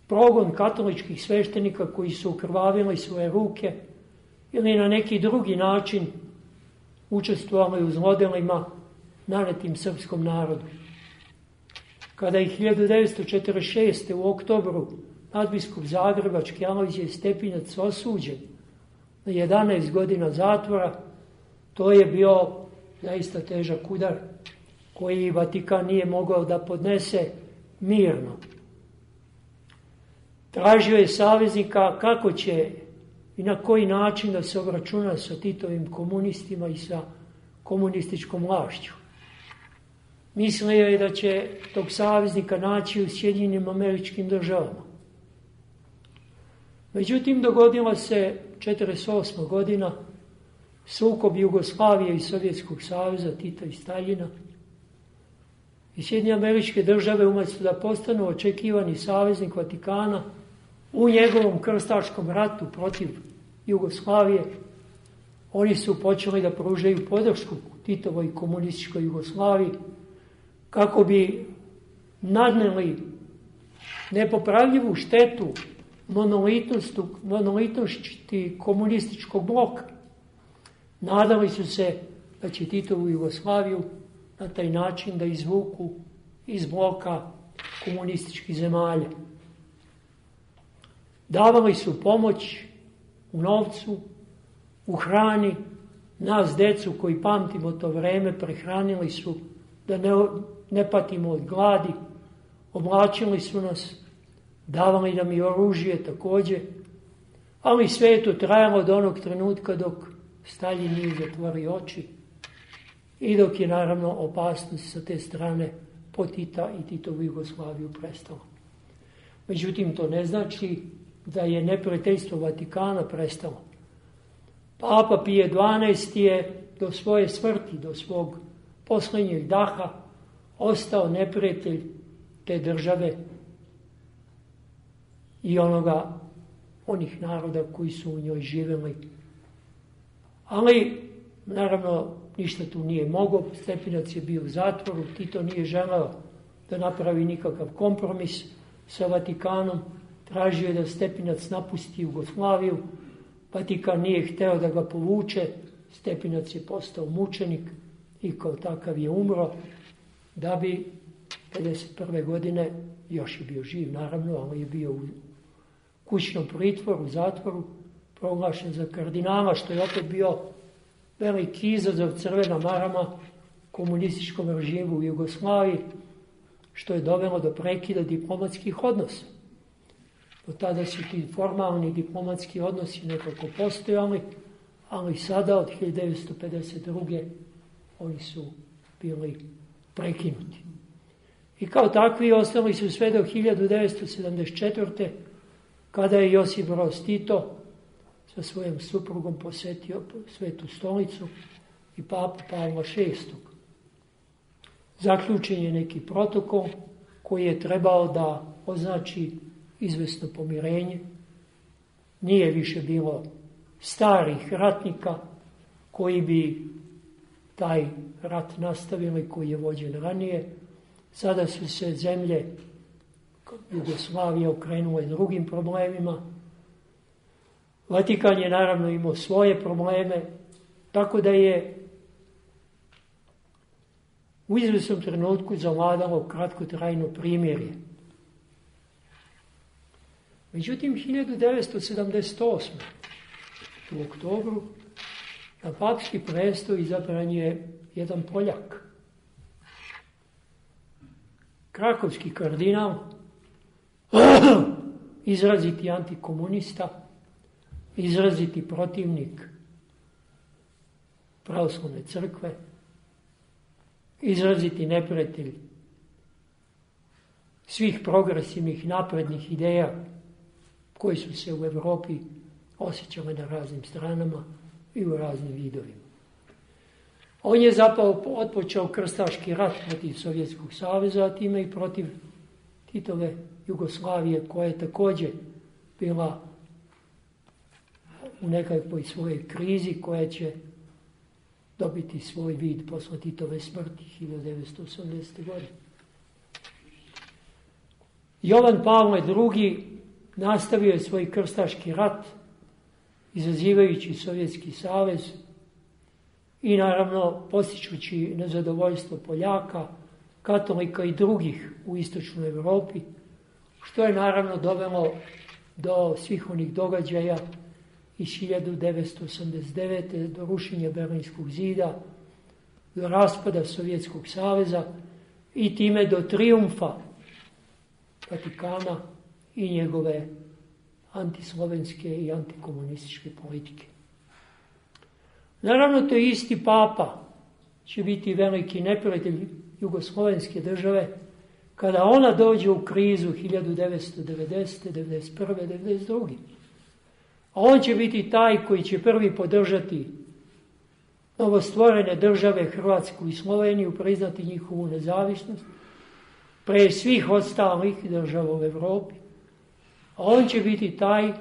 progon katoličkih sveštenika koji su ukrvavili svoje ruke ili na neki drugi način učestvovali u zlodelima nanetim srpskom narodu. Kada je 1946. u oktobru nadbiskup zagrebački Alojzije Stepinac osuđen na 11 godina zatvora, to je bio zaista težak udar koji Vatikan nije mogao da podnese mirno. Tražio je saveznika kako će i na koji način da se obračuna sa Titovim komunistima i sa komunističkom vlašću. Mislio je da će tog saveznika naći u Sjedinjenim Američkim Državama. Međutim, dogodila se 1948. godina, sukob Jugoslavije i Sovjetskog saveza, Tita i Staljina. I Sjedinjene Američke Države, umjesto da postanu očekivani saveznik Vatikana u njegovom krstaškom ratu protiv Jugoslavije, oni su počeli da pružaju podršku Titovoj komunističkoj Jugoslaviji kako bi nadneli nepopravljivu štetu monolitnosti komunističkog bloka. Nadali su se da će Titovu Jugoslaviju na taj način da izvuku iz bloka komunističkih zemalja. Davali su pomoć u novcu, u hrani. Nas, decu koji pamtimo to vreme, prehranili su da ne patimo od gladi, oblačili su nas, davali nam i oružje također, ali sve je to trajalo do onog trenutka dok Staljin nije zatvorio oči i dok je naravno opasnost sa te strane po Tita i Titovu Jugoslaviju prestala. Međutim, to ne znači da je neprijateljstvo Vatikana prestalo. Papa Pije XII je do svoje smrti, do svog posljednjeg daha, ostao neprijatelj te države i onih naroda koji su u njoj živjeli. Ali, naravno, ništa tu nije mogao. Stepinac je bio u zatvoru, Tito nije želeo da napravi nikakav kompromis sa Vatikanom. Tražio je da Stepinac napusti Jugoslaviju. Vatikan nije hteo da ga povuče. Stepinac je postao mučenik i kao takav je umro, da bi 1951. godine, još je bio živ naravno, ali je bio u kućnom pritvoru, u zatvoru, proglašen za kardinala, što je opet bio veliki izazov, crvena marama komunističkom režimu u Jugoslaviji, što je dovelo do prekida diplomatskih odnosa. Do tada su ti formalni diplomatski odnosi nekako postojali, ali sada od 1952. oni su bili prekinuti. I kao takvi ostali su sve do 1974. kada je Josip Broz Tito sa svojom suprugom posetio Svetu stolicu i papu Pavla VI. Zaključen je neki protokol koji je trebao da označi izvesno pomirenje. Nije više bilo starih ratnika koji bi taj rat nastavili, koji je vođen ranije. Sada su se zemlje Jugoslavije okrenule drugim problemima. Vatikan je naravno imao svoje probleme, tako da je u izvesnom trenutku zavladalo kratkotrajno primirje. Međutim, 1978. u oktobru na papski presto izabran je jedan Poljak. Krakovski kardinal, izraziti antikomunista, izraziti protivnik pravoslavne crkve, izraziti neprijatelj svih progresivnih naprednih ideja koji su se u Evropi osjećale na raznim stranama i u raznim vidovima. On je zapravo otpočeo krstaški rat protiv Sovjetskog saveza, a time i protiv Titove Jugoslavije, koja je također bila u nekakvoj svojoj krizi, koja će dobiti svoj vid posle Titove smrti 1980. godine. Jovan Pavle II. Nastavio je svoj krstaški rat, izazivajući Sovjetski savez i naravno postičući nezadovoljstvo Poljaka, katolika i drugih u istočnoj Evropi, što je naravno dovelo do svih onih događaja iz 1989. do rušenja Berlinskog zida, do raspada Sovjetskog saveza i time do trijumfa Vatikana i njegove antislovenske i antikomunističke politike. Naravno, to je isti papa će biti veliki neprijatelj jugoslovenske države kada ona dođe u krizu 1990. 1991. 1992. A on će biti taj koji će prvi podržati novostvorene države Hrvatsku i Sloveniju, priznati njihovu nezavisnost pre svih ostalih država u Evropi. A on će biti taj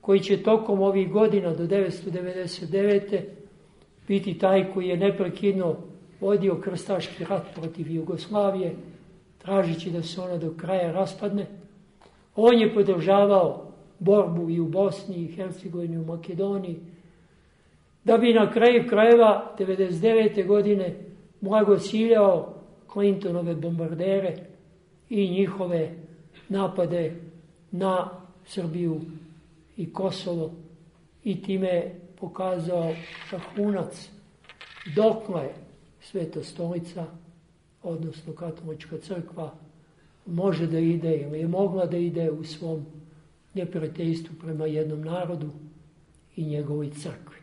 koji će tokom ovih godina do 1999. biti taj koji je neprekidno vodio krstaški rat protiv Jugoslavije, tražići da se ona do kraja raspadne. On je podržavao borbu i u Bosni, i Hercegovini, i u Makedoniji, da bi na kraju krajeva 1999. godine blagociljao Clintonove bombardere i njihove napade na Srbiju i Kosovo i time pokazao vrhunac dokle Sveta stolica, odnosno Katolička crkva, može da ide ili je mogla da ide u svom neprijateljstvu prema jednom narodu i njegovoj crkvi.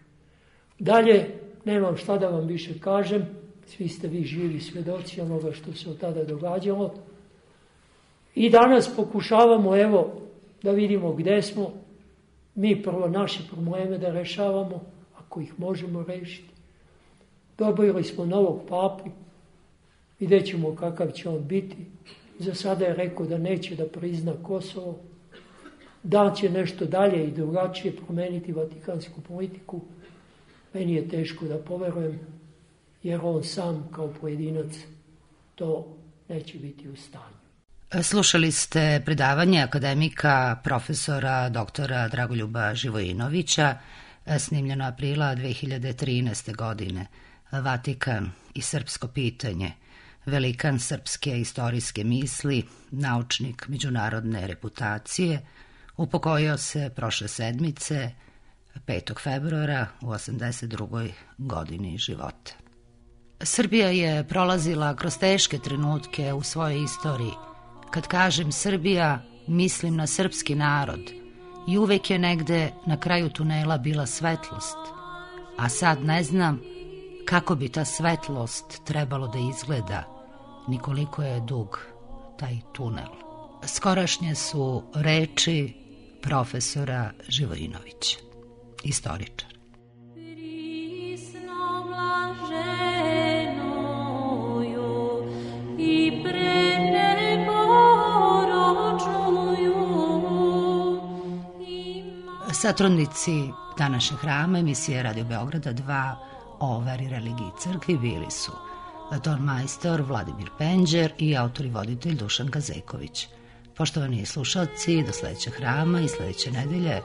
Dalje, nemam šta da vam više kažem, svi ste vi živi svjedoci onoga što se od tada događalo. I danas pokušavamo, evo, da vidimo gde smo, mi prvo naše probleme da rešavamo, ako ih možemo rešiti. Dobili smo novog papu, vidjet ćemo kakav će on biti. Za sada je rekao da neće da prizna Kosovo, da će nešto dalje i drugačije promeniti vatikansku politiku. Meni je teško da poverujem, jer on sam kao pojedinac to neće biti u stanju. Slušali ste predavanje akademika profesora doktora Dragoljuba Živojinovića, snimljeno aprila 2013. godine. Vatikan i srpsko pitanje, velikan srpske istorijske misli, naučnik međunarodne reputacije, upokojio se prošle sedmice, 5. februara u 82. godini života. Srbija je prolazila kroz teške trenutke u svojoj istoriji. Kad kažem Srbija, mislim na srpski narod i uvek je negde na kraju tunela bila svetlost, a sad ne znam kako bi ta svetlost trebalo da izgleda, ni koliko je dug taj tunel. Skorašnje su reči profesora Živojinovića, istoričar. Satrudnici današnjeg hrama emisije Radio Beograda 2 o veri, religiji i crkvi bili su tonmajstor Vladimir Penđer i autor i voditelj Dušan Gazeković. Poštovani slušalci, do sledećeg hrama i sledeće nedelje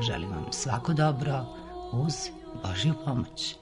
želim vam svako dobro uz Božju pomoć.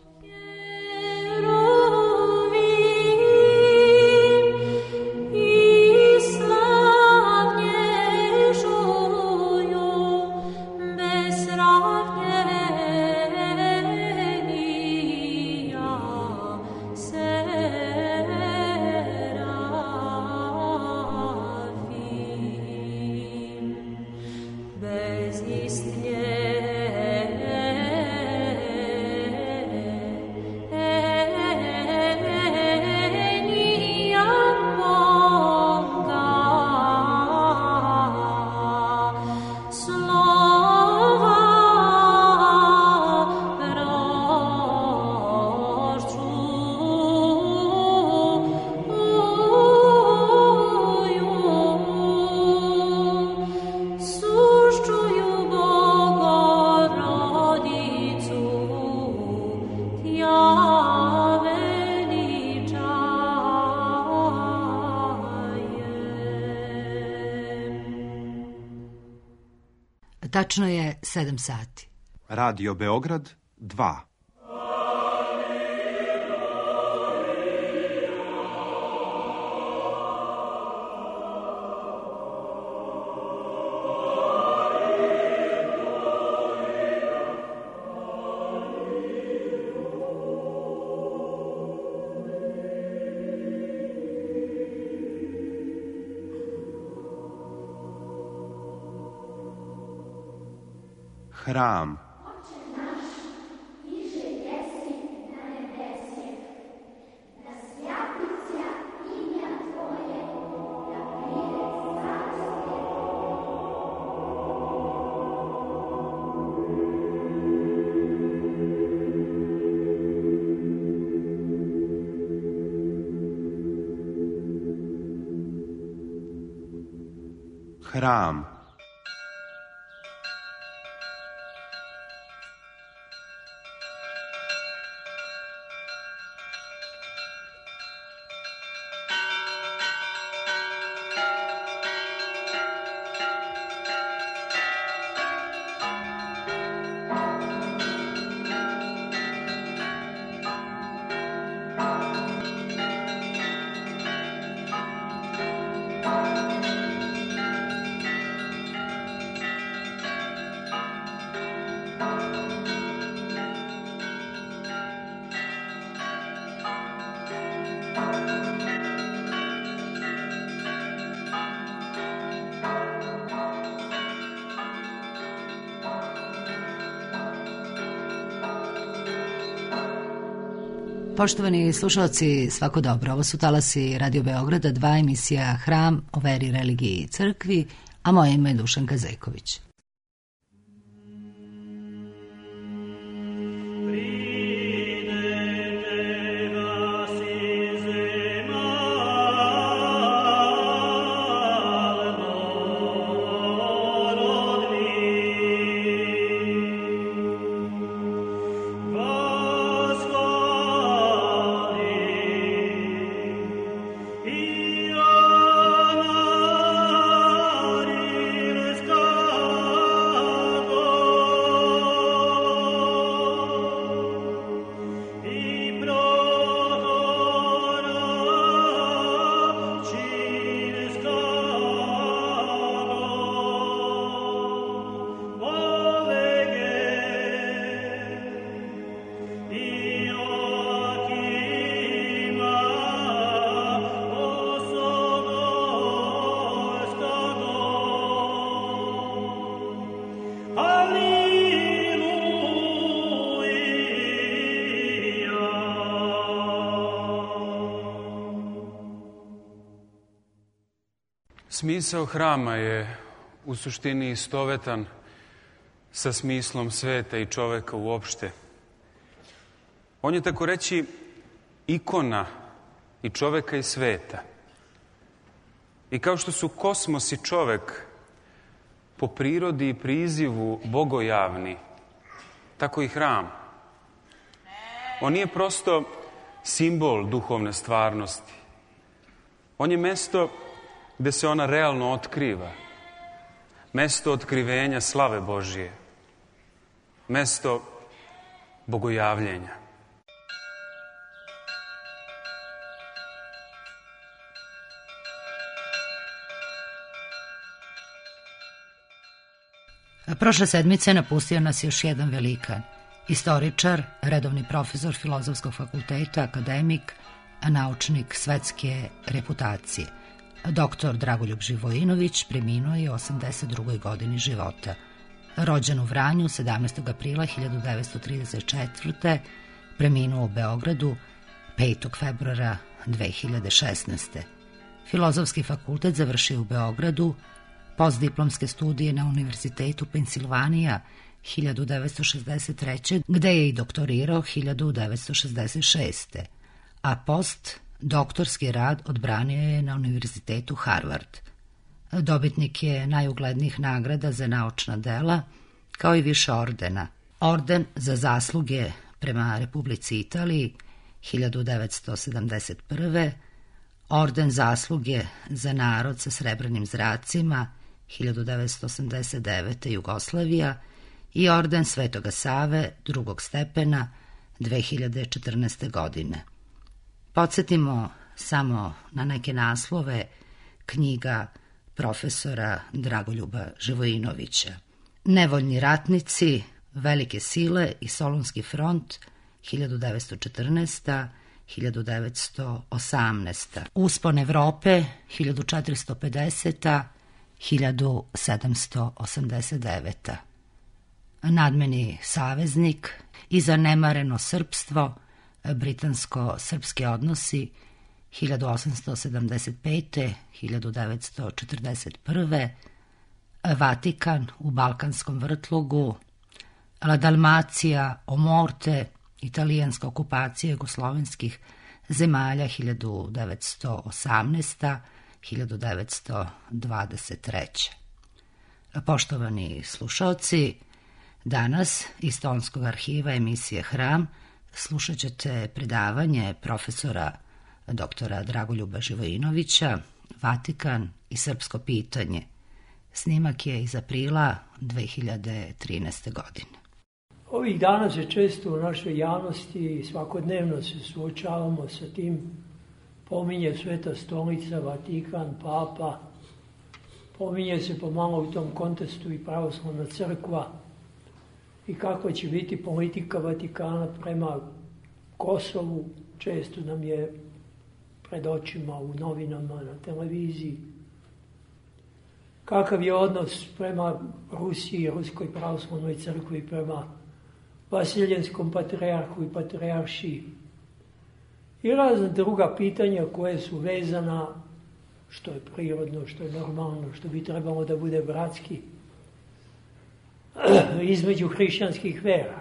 Tačno je 7 sati. Radio Beograd 2. Hram. Hram. Poštovani slušalci, svako dobro. Ovo su talasi Radio Beograda, 2, emisija Hram o veri, religiji i crkvi, a moje ime je Dušanka Zeković. Smisao hrama je u suštini istovetan sa smislom sveta i čoveka uopšte. On je tako reći ikona i čoveka i sveta. I kao što su kosmos i čovek po prirodi i prizivu bogojavni, tako i hram. On nije prosto simbol duhovne stvarnosti. On je mesto gde se ona realno otkriva. Mesto otkrivenja slave Božije. Mesto bogojavljenja. Prošle sedmice napustio nas još jedan velikan. Istoričar, redovni profesor Filozofskog fakulteta, akademik, naučnik svetske reputacije. Doktor Dragoljub Živojinović preminuo je u 82. godini života. Rođen u Vranju 17. aprila 1934. Preminuo u Beogradu 5. februara 2016. Filozofski fakultet završio u Beogradu, postdiplomske studije na Univerzitetu Pensilvanija 1963. gde je i doktorirao 1966. A doktorski rad odbranio je na Univerzitetu Harvard. Dobitnik je najuglednijih nagrada za naučna dela, kao i više ordena. Orden za zasluge prema Republici Italiji 1971. Orden zasluge za narod sa srebrnim zracima 1989. Jugoslavija i orden Svetoga Save drugog stepena 2014. godine. Podsjetimo samo na neke naslove knjiga profesora Dragoljuba Živojinovića. Nevoljni ratnici, Velike sile i Solunski front 1914. 1918. Uspon Evrope 1450. 1789. nadmeni saveznik i zanemareno srpstvo, britansko-srpski odnosi 1875. 1941. Vatikan u Balkanskom vrtlogu, La Dalmacija, Omorte, italijanska okupacija jugoslovenskih zemalja 1918. 1923. Poštovani slušalci, danas iz Tonskog arhiva emisije Hram slušat ćete predavanje profesora doktora Dragoljuba Živojinovića, Vatikan i srpsko pitanje. Snimak je iz aprila 2013. godine. Ovih dana se često u našoj javnosti i svakodnevno se suočavamo sa tim, pominje Sveta stolica, Vatikan, Papa, pominje se pomalo u tom kontekstu i pravoslavna crkva i kakva će biti politika Vatikana prema Kosovu, često nam je pred očima u novinama, na televiziji. Kakav je odnos prema Rusiji, Ruskoj pravoslavnoj crkvi, prema Vasiljenskom patrijarhu i patrijaršiji. I razna druga pitanja koje su vezana, što je prirodno, što je normalno, što bi trebalo da bude bratski, između hrišćanskih vera.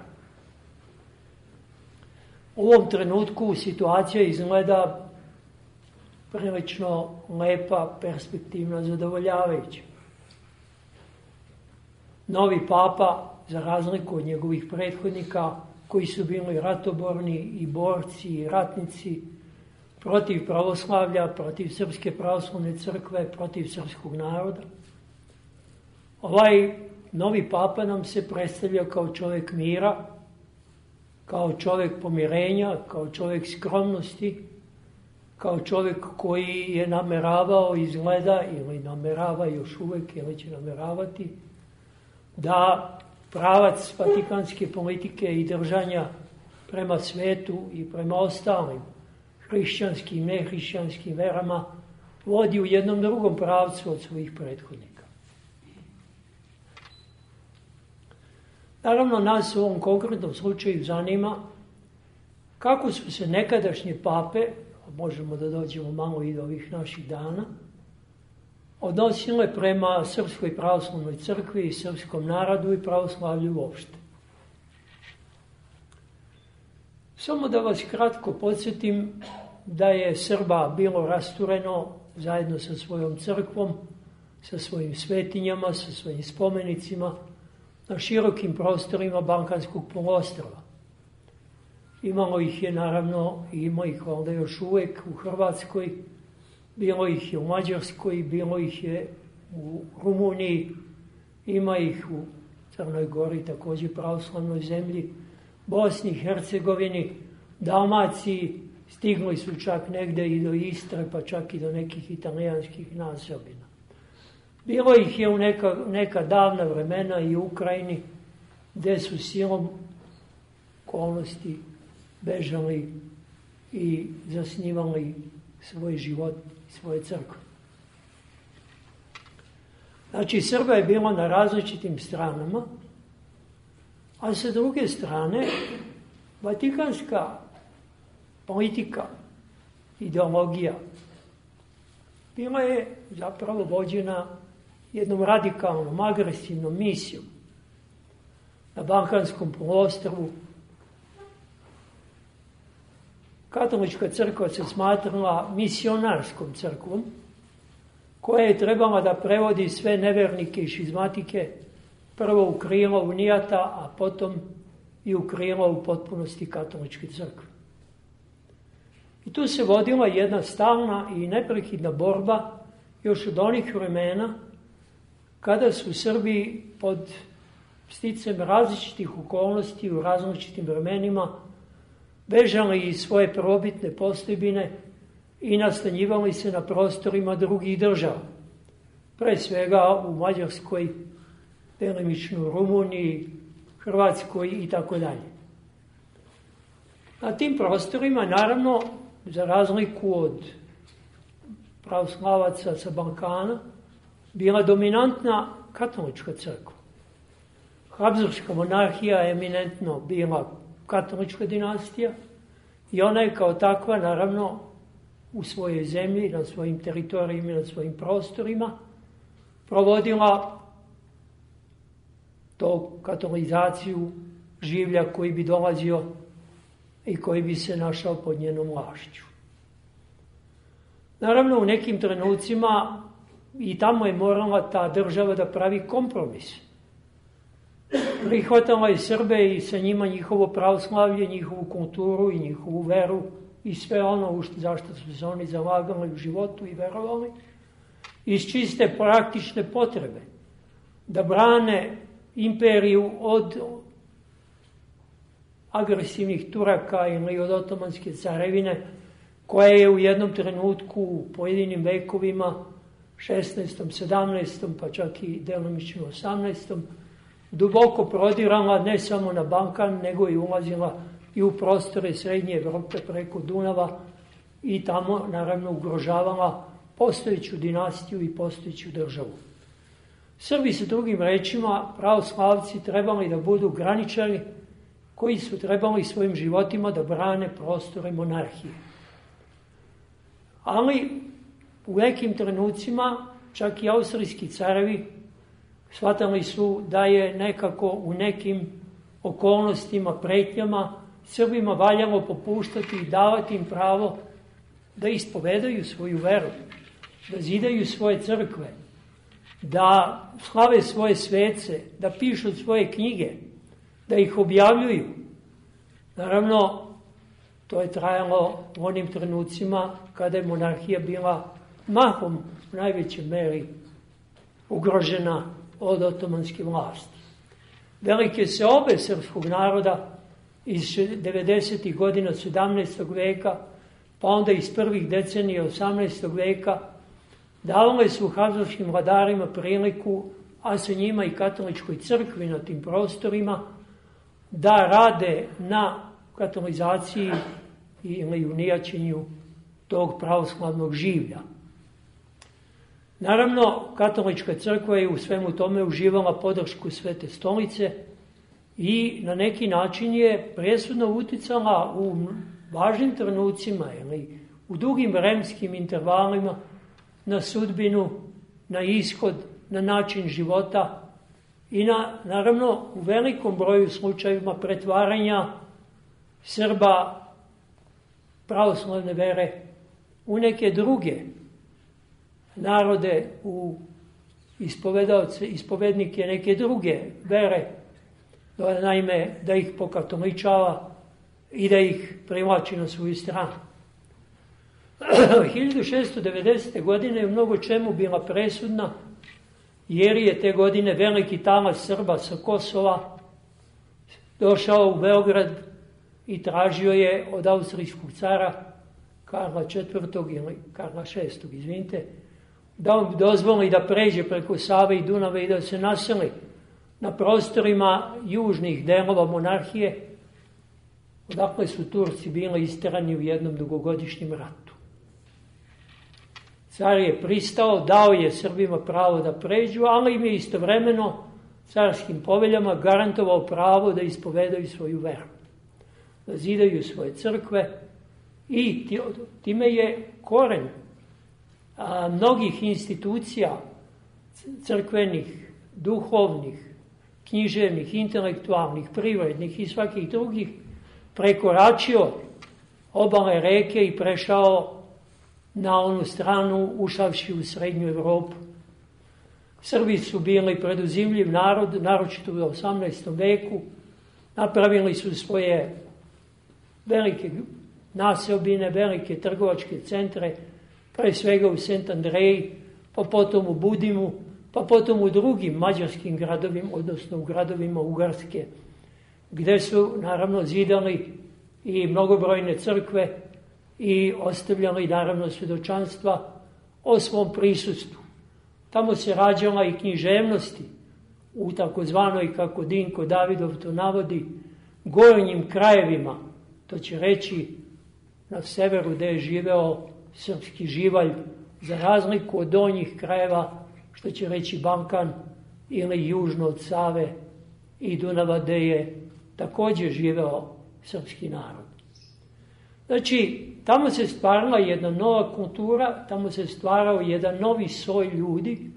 U ovom trenutku situacija izgleda prilično lepa, perspektivna, zadovoljavajuća. Novi papa, za razliku od njegovih prethodnika, koji su bili ratoborni i borci i ratnici protiv pravoslavlja, protiv Srpske pravoslavne crkve, protiv srpskog naroda. Ovaj novi papa nam se predstavlja kao čovjek mira, kao čovjek pomirenja, kao čovjek skromnosti, kao čovjek koji je nameravao, izgleda ili namerava još uvijek ili će nameravati, da pravac vatikanske politike i držanja prema svetu i prema ostalim hrišćanskim i nehrišćanskim verama vodi u jednom drugom pravcu od svojih prethodnika. Naravno, nas u ovom konkretnom slučaju zanima kako su se nekadašnje pape, a možemo da dođemo malo i do ovih naših dana, odnosile prema Srpskoj pravoslavnoj crkvi i srpskom narodu i pravoslavlju uopšte. Samo da vas kratko podsjetim da je Srba bilo rastureno zajedno sa svojom crkvom, sa svojim svetinjama, sa svojim spomenicima na širokim prostorima Balkanskog poluostrva. Imalo ih je naravno i ima ih valjda još uvek u Hrvatskoj, bilo ih je u Mađarskoj, bilo ih je u Rumuniji, ima ih u Crnoj Gori, također pravoslavnoj zemlji, Bosni i Hercegovini, Dalmaciji, stigli su čak negde i do Istre, pa čak i do nekih italijanskih naseobina. Bilo ih je u neka davna vremena i u Ukrajini, gde su silom okolnosti bežali i zasnivali svoj život i svoje crkve. Znači, Srba je bilo na različitim stranama, a sa druge strane, vatikanska politika, ideologija, bila je zapravo vođena jednom radikalnom, agresivnom misijom na Balkanskom poluostrvu. Katolička crkva se smatrala misionarskom crkvom, koja je trebala da prevodi sve nevernike i šizmatike prvo u krilo unijata, a potom i u krilo u potpunosti katoličke crkve. I tu se vodila jedna stalna i neprekidna borba još od onih vremena kada su Srbi pod sticajem različitih okolnosti u različitim vremenima bežali iz svoje prvobitne postojbine i nastanjivali se na prostorima drugih država. Pre svega u Mađarskoj, delimično u Rumuniji, Hrvatskoj i tako dalje. Na tim prostorima, naravno, za razliku od pravoslavaca sa Balkana, bila dominantna katolička crkva. Habsburška monarhija je eminentno bila katolička dinastija i ona je kao takva, naravno, u svojoj zemlji, na svojim teritorijima i na svojim prostorima provodila to katolizaciju življa koji bi dolazio i koji bi se našao pod njenom vlašću. Naravno, u nekim trenucima i tamo je morala ta država da pravi kompromis. Prihvatala je Srbe i sa njima njihovo pravoslavlje, njihovu kulturu i njihovu veru i sve ono zašto su se oni zalagali u životu i verovali, iz čiste praktične potrebe, da brane imperiju od agresivnih Turaka ili od Otomanske carevine, koja je u jednom trenutku u pojedinim vekovima, 16., 17., pa čak i delimično 18., duboko prodirala ne samo na Balkan, nego i ulazila i u prostore Srednje Evrope preko Dunava i tamo, naravno, ugrožavala postojeću dinastiju i postojeću državu. Srbi, sa drugim rečima, pravoslavci, trebali da budu graničari koji su trebali svojim životima da brane prostore monarhije. Ali u nekim trenucima čak i austrijski carevi shvatali su da je nekako u nekim okolnostima, pretnjama Srbima valjalo popuštati i davati im pravo da ispovedaju svoju veru, da zidaju svoje crkve, da slave svoje svece, da pišu svoje knjige, da ih objavljuju. Naravno, to je trajalo u onim trenucima kada je monarhija bila mahom u najvećoj meri ugrožena od otomanske vlasti. Velike seobe srpskog naroda iz 90. godina 17. veka, pa onda iz prvih decenija 18. veka, davale su habsburškim vladarima priliku, a sa njima i katoličkoj crkvi na tim prostorima, da rade na katolizaciji ili unijaćenju tog pravoslavnog življa. Naravno, katolička crkva je u svemu tome uživala podršku Svete stolice i na neki način je presudno uticala u važnim trenucima ili u dugim vremenskim intervalima na sudbinu, na ishod, na način života i naravno u velikom broju slučajeva pretvaranja Srba pravoslavne vere u neke druge narode, u ispovednike neke druge vere, naime da ih pokatoličava i da ih privlači na svoju stranu. 1690. godine je u mnogo čemu bila presudna, jer je te godine veliki talas Srba sa Kosova došao u Beograd i tražio je od austrijskog cara Karla IV. Ili Karla VI. Izvinite, da mu dozvoli da pređe preko Save i Dunava i da se naseli na prostorima južnih delova monarhije, odakle su Turci bili isterani u jednom dugogodišnjem ratu. Car je pristao, dao je Srbima pravo da pređu, ali im je istovremeno carskim poveljama garantovao pravo da ispovedaju svoju veru, da zidaju svoje crkve i time je koren mnogih institucija crkvenih, duhovnih, književnih, intelektualnih, privrednih i svakih drugih prekoračio obale reke i prešao na onu stranu, ušavši u Srednju Evropu. Srbi su bili preduzimljiv narod, naročito u 18. veku. Napravili su svoje velike naseobine, velike trgovačke centre, pre svega u Sent Andreji, pa potom u Budimu, pa potom u drugim mađarskim gradovima, odnosno u gradovima Ugarske, gde su naravno zidali i mnogobrojne crkve i ostavljali naravno svjedočanstva o svom prisustvu. Tamo se rađala i književnosti u takozvanoj, kako Dinko Davidov to navodi, gornjim krajevima, to će reći na severu gde je živeo srpski živalj, za razliku od donjih krajeva, što će reći Balkan ili južno od Save i Dunava, gde je također živeo srpski narod. Znači, tamo se stvarala jedna nova kultura, tamo se stvarao jedan novi soj ljudi,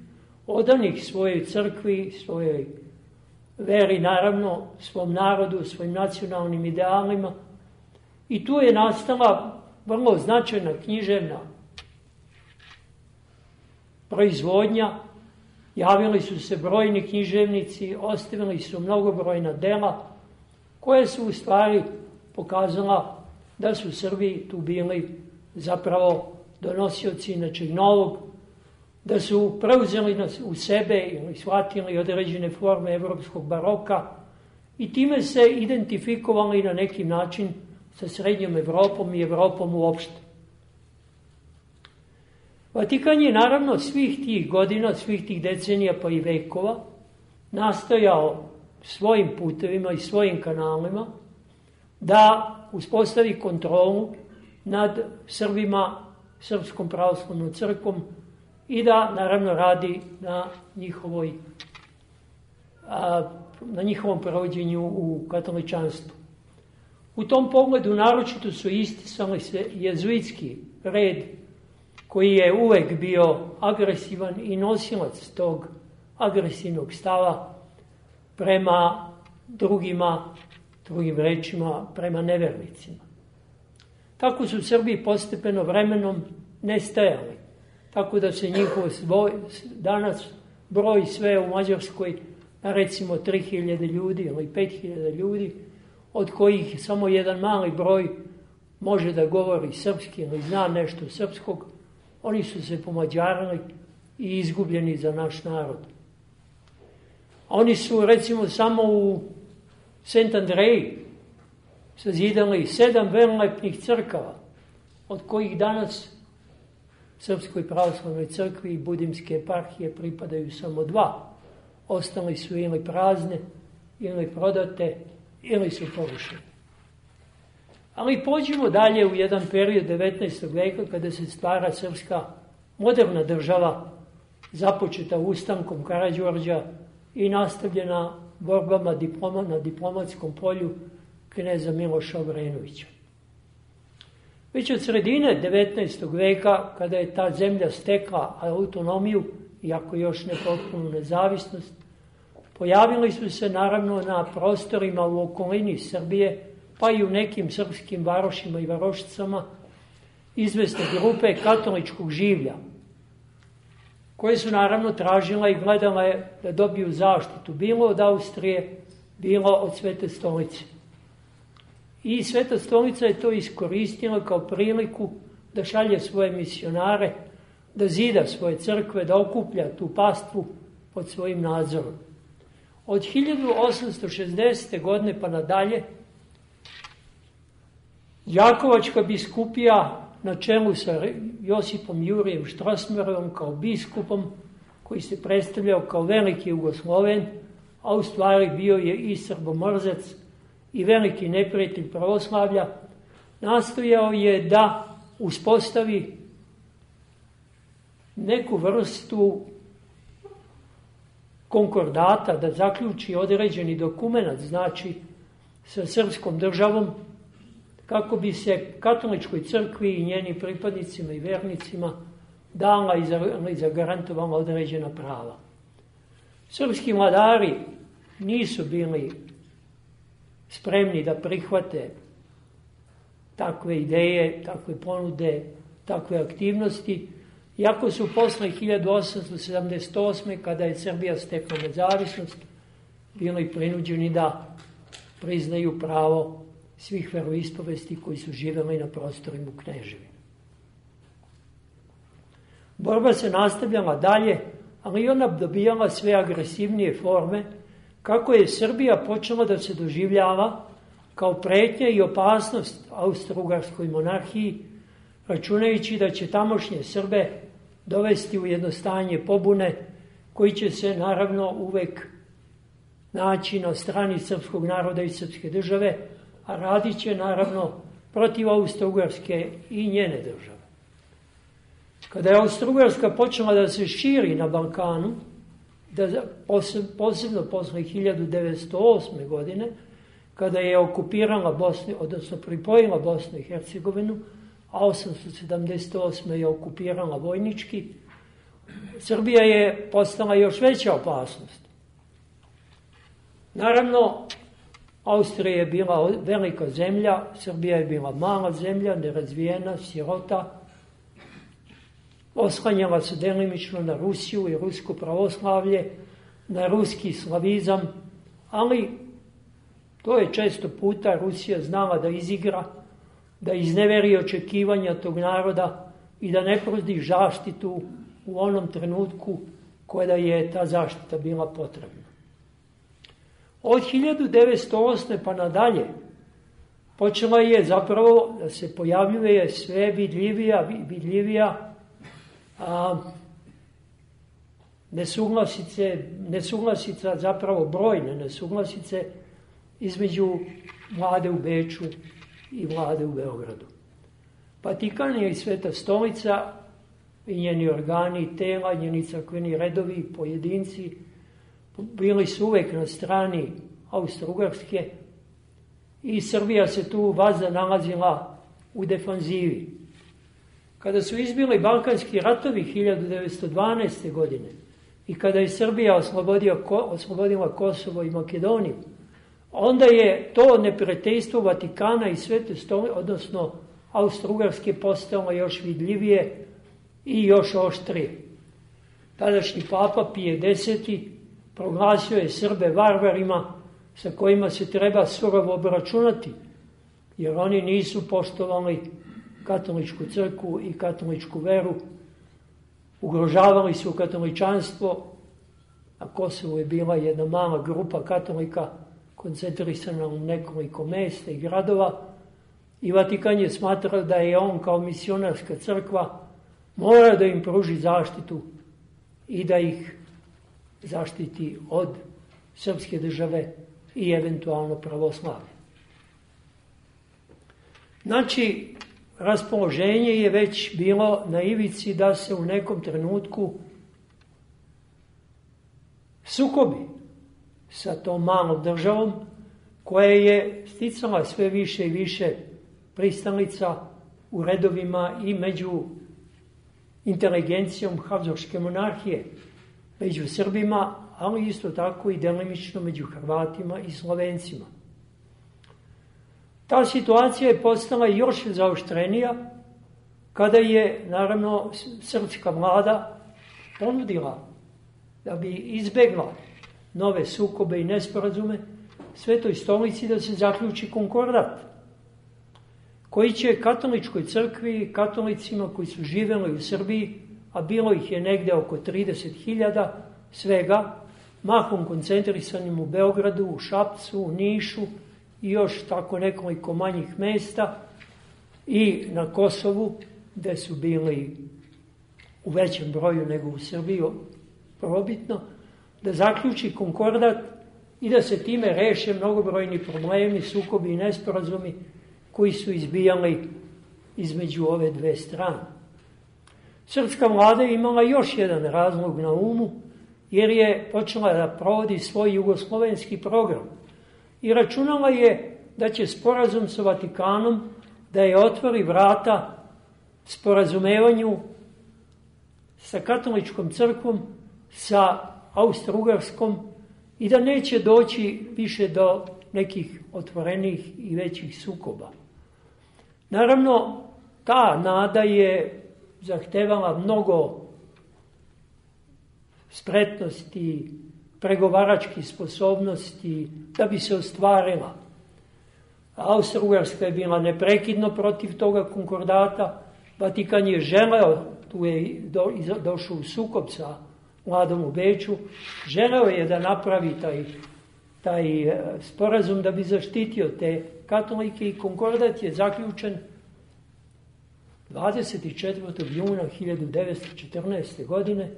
odanih svojoj crkvi, svojoj veri, naravno, svom narodu, svojim nacionalnim idealima. I tu je nastala vrlo značajna književna proizvodnja. Javili su se brojni književnici, ostavili su mnogobrojna dela, koje su u stvari pokazala da su Srbi tu bili zapravo donosioci nečeg novog, da su preuzeli u sebe ili shvatili određene forme evropskog baroka i time se identifikovali na neki način sa srednjom Evropom i Evropom uopšte. Vatikan je naravno svih tih godina, svih tih decenija pa i vekova nastojao svojim putevima i svojim kanalima da uspostavi kontrolu nad Srbima, Srpskom pravoslavnom crkvom i da naravno radi na njihovom provođenju u katoličanstvu. U tom pogledu naročito su isticali se jezuitski red koji je uvek bio agresivan i nosilac tog agresivnog stava prema drugim rečima, prema nevernicima. Tako su Srbi postepeno vremenom nestajali, tako da se njihov danas broj sve u Mađarskoj na recimo 3000 ljudi ili 5000 ljudi, od kojih samo jedan mali broj može da govori srpski ili zna nešto srpskog. Oni su se pomađarili i izgubljeni za naš narod. Oni su recimo samo u Sent Andreji sazidali 7 velelepnih crkava, od kojih danas Srpskoj pravoslavnoj crkvi i Budimske eparhije pripadaju samo 2. Ostali su ili prazne, ili prodate, ili su porušene. Ali pođimo dalje u jedan period 19. veka kada se stvara srpska moderna država, započeta ustankom Karađorđa i nastavljena borbama na diplomatskom polju kneza Miloša Obrenovića. Već od sredine 19. veka, kada je ta zemlja stekla autonomiju, iako još ne potpunu nezavisnost, pojavili su se naravno na prostorima u okolini Srbije, pa i u nekim srpskim varošima i varošicama, izvesne grupe katoličkog življa, koje su naravno tražile i gledale da dobiju zaštitu, bilo od Austrije, bilo od Svete stolice. I Sveta stolica je to iskoristila kao priliku da šalje svoje misionare, da zida svoje crkve, da okuplja tu pastvu pod svojim nadzorom. Od 1860. godine pa nadalje, Đakovačka biskupija na čelu sa Josipom Jurijem Štrosmajerom kao biskupom, koji se predstavljao kao veliki Jugosloven, a u stvari bio je i srbomrzac i veliki neprijatelj pravoslavlja, nastojao je da uspostavi neku vrstu konkordata, da zaključi određeni dokument, znači sa srpskom državom, kako bi se katoličkoj crkvi i njenim pripadnicima i vernicima dala i zagarantovala određena prava. Srpski vladari nisu bili spremni da prihvate takve ideje, takve ponude, takve aktivnosti, iako su posle 1878. kada je Srbija stekla nezavisnost, bili prinuđeni da priznaju pravo svih veroispovesti koji su živeli na prostorima Kneževine. Borba se nastavljala dalje, ali i ona dobijala sve agresivnije forme, kako je Srbija počela da se doživljava kao pretnja i opasnost austro-ugarskoj monarhiji, računajući da će tamošnje Srbe dovesti u jedno stanje pobune, koji će se naravno uvek naći na strani srpskog naroda i srpske države, a radit će naravno protiv Austro-Ugarske i njene države. Kada je Austro-Ugarska počela da se širi na Balkanu da posebno posle 1908. godine, kada je okupirala Bosnu, odnosno pripojila Bosnu i Hercegovinu, a 878. je okupirala vojnički, Srbija je postala još veća opasnost. Naravno, Austrija je bila velika zemlja, Srbija je bila mala zemlja, nerazvijena, sirota, oslanjala se delimično na Rusiju i rusko pravoslavlje, na ruski slavizam, ali to je često puta Rusija znala da izigra, da izneveri očekivanja tog naroda i da ne pruži zaštitu u onom trenutku kada je ta zaštita bila potrebna. Od 1908. pa nadalje počela je zapravo da se pojavljuje sve vidljivija nesuglasica, zapravo brojne nesuglasice između vlade u Beču i vlade u Beogradu. Vatikan je i Sveta stolica i njeni organi, tela, njeni crkveni redovi, pojedinci, bili su uvek na strani Austro-Ugarske i Srbija se tu vazda nalazila u defanzivi. Kada su izbili Balkanski ratovi 1912. godine i kada je Srbija oslobodila Kosovo i Makedoniju, onda je to neprijateljstvo Vatikana i Svete stolice, odnosno Austro-Ugarske, postalo još vidljivije i još oštrije. Tadašnji papa Pije X proglasio je Srbe varvarima sa kojima se treba surovo obračunati, jer oni nisu poštovali katoličku crkvu i katoličku veru, ugrožavali su katoličanstvo, a Kosovo je bila jedna mala grupa katolika koncentrisana u nekoliko mesta i gradova, i Vatikan je smatrao da je on kao misionarska crkva mora da im pruži zaštitu i da ih zaštiti od srpske države i eventualno pravoslavlje. Znači, raspoloženje je već bilo na ivici da se u nekom trenutku sukobi sa tom malom državom koja je sticala sve više i više pristalica u redovima i među inteligencijom Habsburške monarhije, među Srbima, ali isto tako i delimično među Hrvatima i Slovencima. Ta situacija je postala još zaoštrenija kada je, naravno, srpska vlada ponudila da bi izbegla nove sukobe i nesporazume Svetoj stolici da se zaključi konkordat koji će katoličkoj crkvi, katolicima koji su živeli u Srbiji, a bilo ih je negde oko 30.000 svega, mahom koncentrisanim u Beogradu, u Šapcu, u Nišu i još tako nekoliko manjih mesta, i na Kosovu, gde su bili u većem broju nego u Srbiji, probitno, da zaključi konkordat i da se time reše mnogobrojni problemi, sukobi i nesporazumi koji su izbijali između ove dve strane. Srpska vlada je imala još jedan razlog na umu, jer je počela da provodi svoj jugoslovenski program i računala je da će sporazum sa Vatikanom da je otvori vrata sporazumevanju sa katoličkom crkvom, sa Austro-Ugarskom, i da neće doći više do nekih otvorenih i većih sukoba. Naravno, ta nada je zahtevala mnogo spretnosti, pregovaračkih sposobnosti da bi se ostvarila. Austro-Ugarska je bila neprekidno protiv toga konkordata, Vatikan je želeo, tu je došao u sukob sa vladom u Beču, želeo je da napravi taj sporazum da bi zaštitio te katolike, i konkordat je zaključen 24. juna 1914. godine,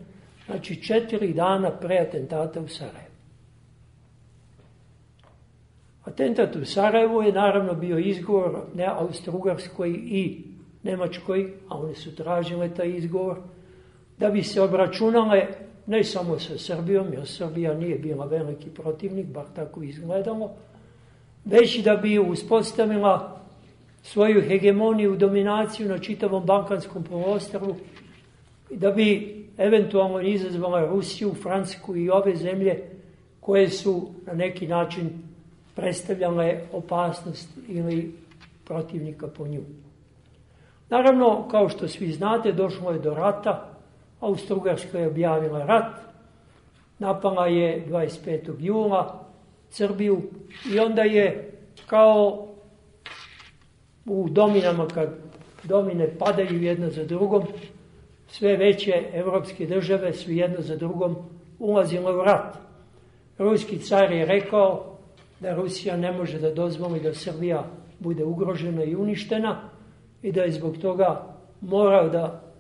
znači 4 dana pre atentata u Sarajevu. Atentat u Sarajevu je naravno bio izgovor ne Austro-Ugarskoj i Nemačkoj, a one su tražile taj izgovor, da bi se obračunale ne samo sa Srbijom, jer Srbija nije bila veliki protivnik, bar tako izgledalo, već da bi uspostavila svoju hegemoniju, dominaciju na čitavom Balkanskom poluostrvu i da bi eventualno izazvala Rusiju, Francusku i ove zemlje koje su na neki način predstavljale opasnost ili protivnika po nju. Naravno, kao što svi znate, došlo je do rata. Austro-Ugarska je objavila rat, napala je 25. jula Srbiju i onda je kao u dominama, kad domine padaju jedna za drugom, sve veće evropske države su jedna za drugom ulazile u rat. Ruski car je rekao da Rusija ne može da dozvoli da Srbija bude ugrožena i uništena i da je zbog toga morao da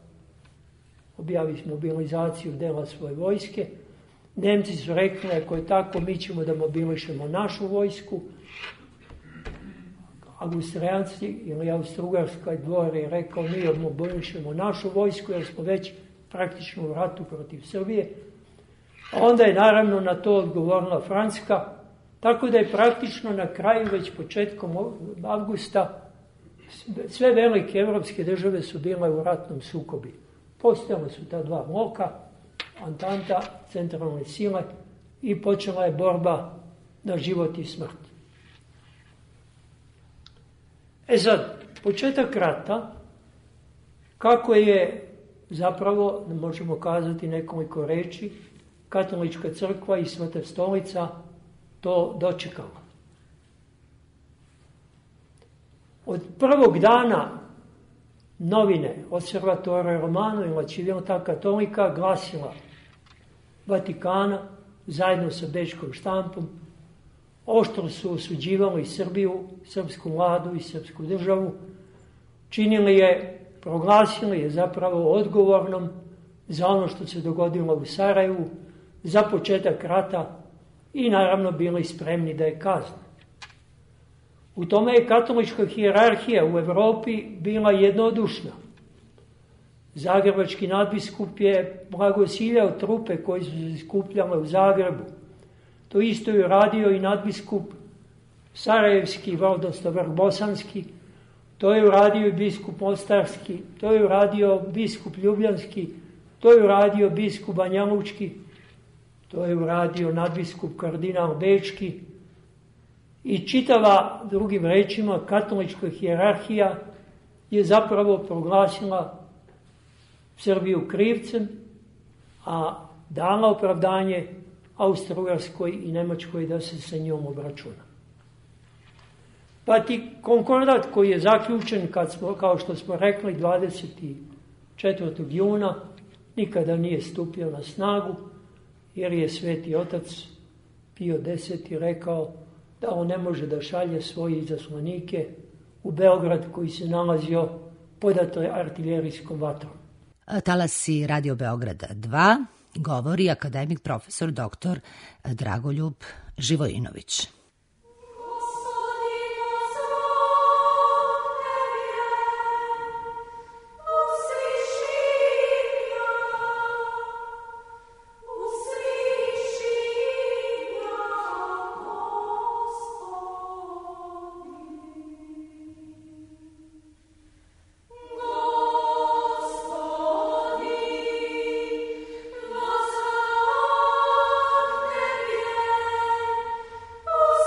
objavi mobilizaciju dela svoje vojske. Nemci su rekli, ako je tako, mi ćemo da mobilišemo našu vojsku. Austrijanci ili Austro-Ugarska dvor je rekao, mi mobilišemo našu vojsku jer smo već praktično u ratu protiv Srbije. A onda je naravno na to odgovorila Francuska, tako da je praktično na kraju, već početkom avgusta, sve velike evropske države su bile u ratnom sukobi. Postojale su ta dva bloka, Antanta, centralne sile, i počela je borba na život i smrt. Sad, početak rata, kako je zapravo, možemo kazati nekoliko reči, Katolička crkva i Sveta stolica to dočekala. Od prvog dana novine Osservatore Romano i La Civiltà Cattolica glasila Vatikana zajedno sa bečkom štampom oštro su osuđivali Srbiju, srpsku vladu i srpsku državu, činili je, proglasili je zapravo odgovornom za ono što se dogodilo u Sarajevu, za početak rata i naravno bili spremni da je kazne. U tome je katolička hijerarhija u Evropi bila jednodušna. Zagrebački nadbiskup je blagosiljao trupe koji su se skupljale u Zagrebu. To isto je uradio i nadbiskup Sarajevski, odnosno Vrbosanski, to je uradio i biskup Mostarski, to je uradio biskup Ljubljanski, to je uradio biskup Banjalučki, to je uradio nadbiskup kardinal Bečki i čitava, drugim rečima, katolička hijerarhija je zapravo proglasila Srbiju krivcem, a dala opravdanje Austro-Ugarskoj i Nemačkoj da se sa njom obračuna. Pa ti konkordat koji je zaključen, kao što smo rekli, 24. juna, nikada nije stupio na snagu, jer je Sveti Otac Pio X rekao da on ne može da šalje svoje izaslanike u Beograd koji se nalazio pod artiljerijskom vatrom. Talasi Radio Beograda 2 govori akademik profesor dr. Dragoljub Živojinović. Oh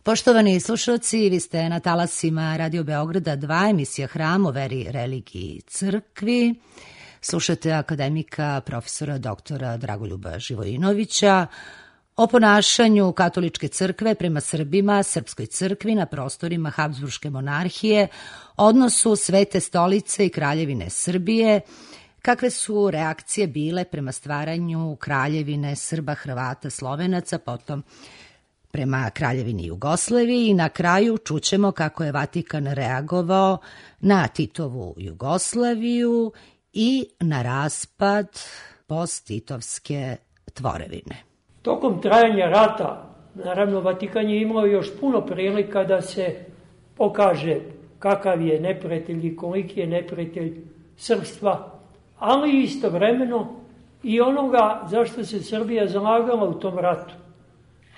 Poštovani slušalci, vi ste na talasima Radio Beograda 2, emisija Hram o veri, religiji i crkvi. Slušate akademika profesora doktora Dragoljuba Živojinovića o ponašanju katoličke crkve prema Srbima, srpskoj crkvi na prostorima Habsburške monarhije, odnosu Svete stolice i Kraljevine Srbije, kakve su reakcije bile prema stvaranju Kraljevine Srba, Hrvata, Slovenaca, potom prema Kraljevini Jugoslaviji i na kraju čućemo kako je Vatikan reagovao na Titovu Jugoslaviju i na raspad post-titovske tvorevine. Tokom trajanja rata, naravno, Vatikan je imao još puno prilika da se pokaže kakav je neprijatelj i koliki je neprijatelj srpstva, ali istovremeno i onoga zašto se Srbija zalagala u tom ratu.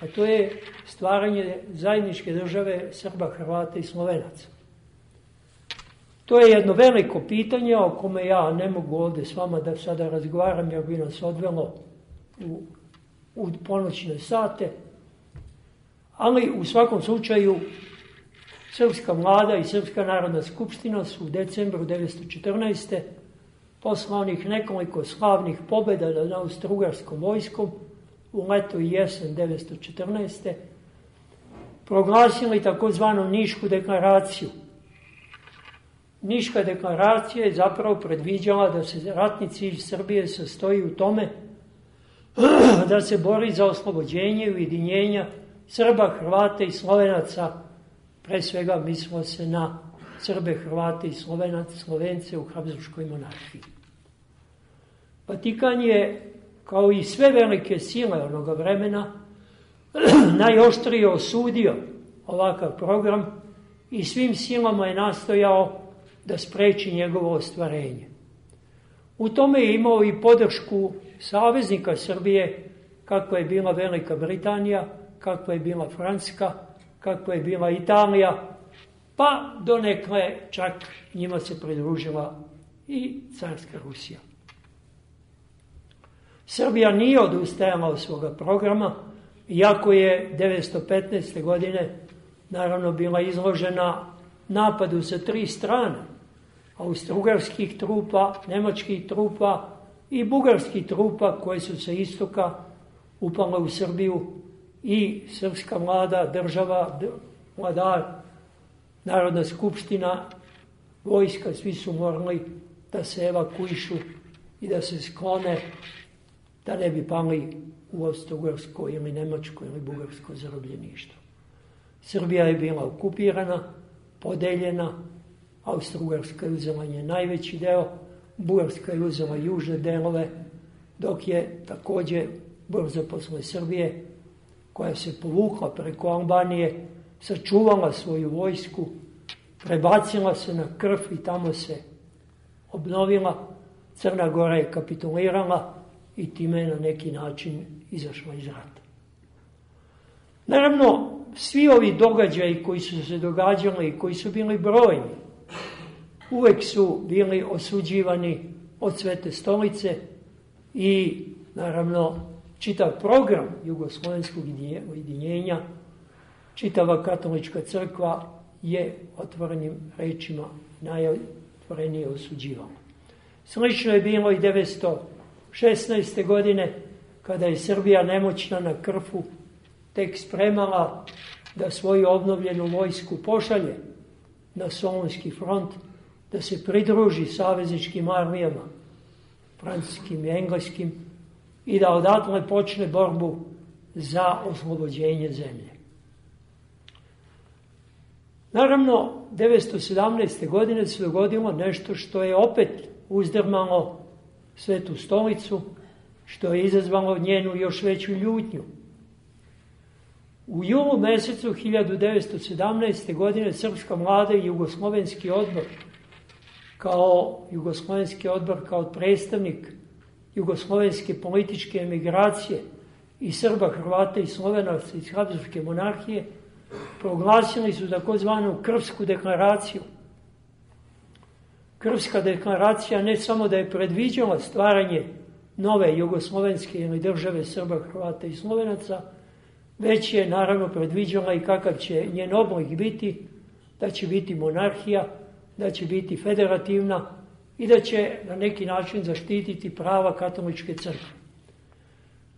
A to je stvaranje zajedničke države Srba, Hrvata i Slovenaca. To je jedno veliko pitanje o kome ja ne mogu ovde s vama da sada razgovaram, jer bi nas odvelo u ponoćne sate. Ali u svakom slučaju Srpska vlada i Srpska narodna skupština su u decembru 1914. posle onih nekoliko slavnih pobjeda nad austrougarskom vojskom u leto i jesen 1914. proglasili takozvanu Nišku deklaraciju. Niška deklaracija je zapravo predviđala da se ratni cilj Srbije sastoji u tome da se bori za oslobođenje i ujedinjenja Srba, Hrvata i Slovenaca. Pre svega mislilo se na Srbe, Hrvate i Slovence u Habsburškoj monarhiji. Vatikan je, kao i sve velike sile onoga vremena, najoštrije osudio ovakav program i svim silama je nastojao da spreči njegovo ostvarenje. U tome je imao i podršku saveznika Srbije, kakva je bila Velika Britanija, kakva je bila Francuska, kakva je bila Italija, pa donekle čak njima se pridružila i carska Rusija. Srbija nije odustajala od svoga programa, iako je 1915. godine naravno bila izložena napadu sa 3 strane, austrougarskih trupa, nemačkih trupa i bugarskih trupa koje su sa istoka upale u Srbiju i srpska vlada, država, vladar, Narodna skupština, vojska, svi su morali da se evakuišu i da se sklone, da ne bi pali u austrougarsko ili nemačko ili bugarsko zarobljeništvo. Srbija je bila okupirana, podeljena, Austrougarska je uzela njen najveći deo, Bugarska je uzela južne delove, dok je takođe brzo posle Srbije, koja se povukla preko Albanije, sačuvala svoju vojsku, prebacila se na Krf i tamo se obnovila. Crna Gora je kapitulirala i time je na neki način izašla iz rata. Naravno, svi ovi događaji koji su se događali i koji su bili brojni, uvek su bili osuđivani od Svete stolice i, naravno, čitav program jugoslovenskog ujedinjenja, čitava katolička crkva je otvorenim rečima najotvorenije osuđivala. Slično je bilo i 1916. godine, kada je Srbija nemoćna na Krfu tek spremala da svoju obnovljenu vojsku pošalje na Solunski front, da se pridruži savezničkim armijama, francuskim i engleskim, i da odatle počne borbu za oslobođenje zemlje. Naravno, 1917. godine se dogodilo nešto što je opet uzdrmalo Svetu stolicu, što je izazvalo njenu još veću ljutnju. U julu mesecu 1917. godine Srpska vlada i Jugoslovenski odbor, kao predstavnik jugoslovenske političke emigracije i Srba, Hrvata i Slovenaca iz Habsburške monarhije, proglasili su takozvanu Krfsku deklaraciju. Krfska deklaracija ne samo da je predviđala stvaranje nove jugoslovenske ili države Srba, Hrvata i Slovenaca, već je naravno predviđala i kakav će njen oblik biti, da će biti monarhija, da će biti federativna i da će na neki način zaštititi prava katoličke crkve.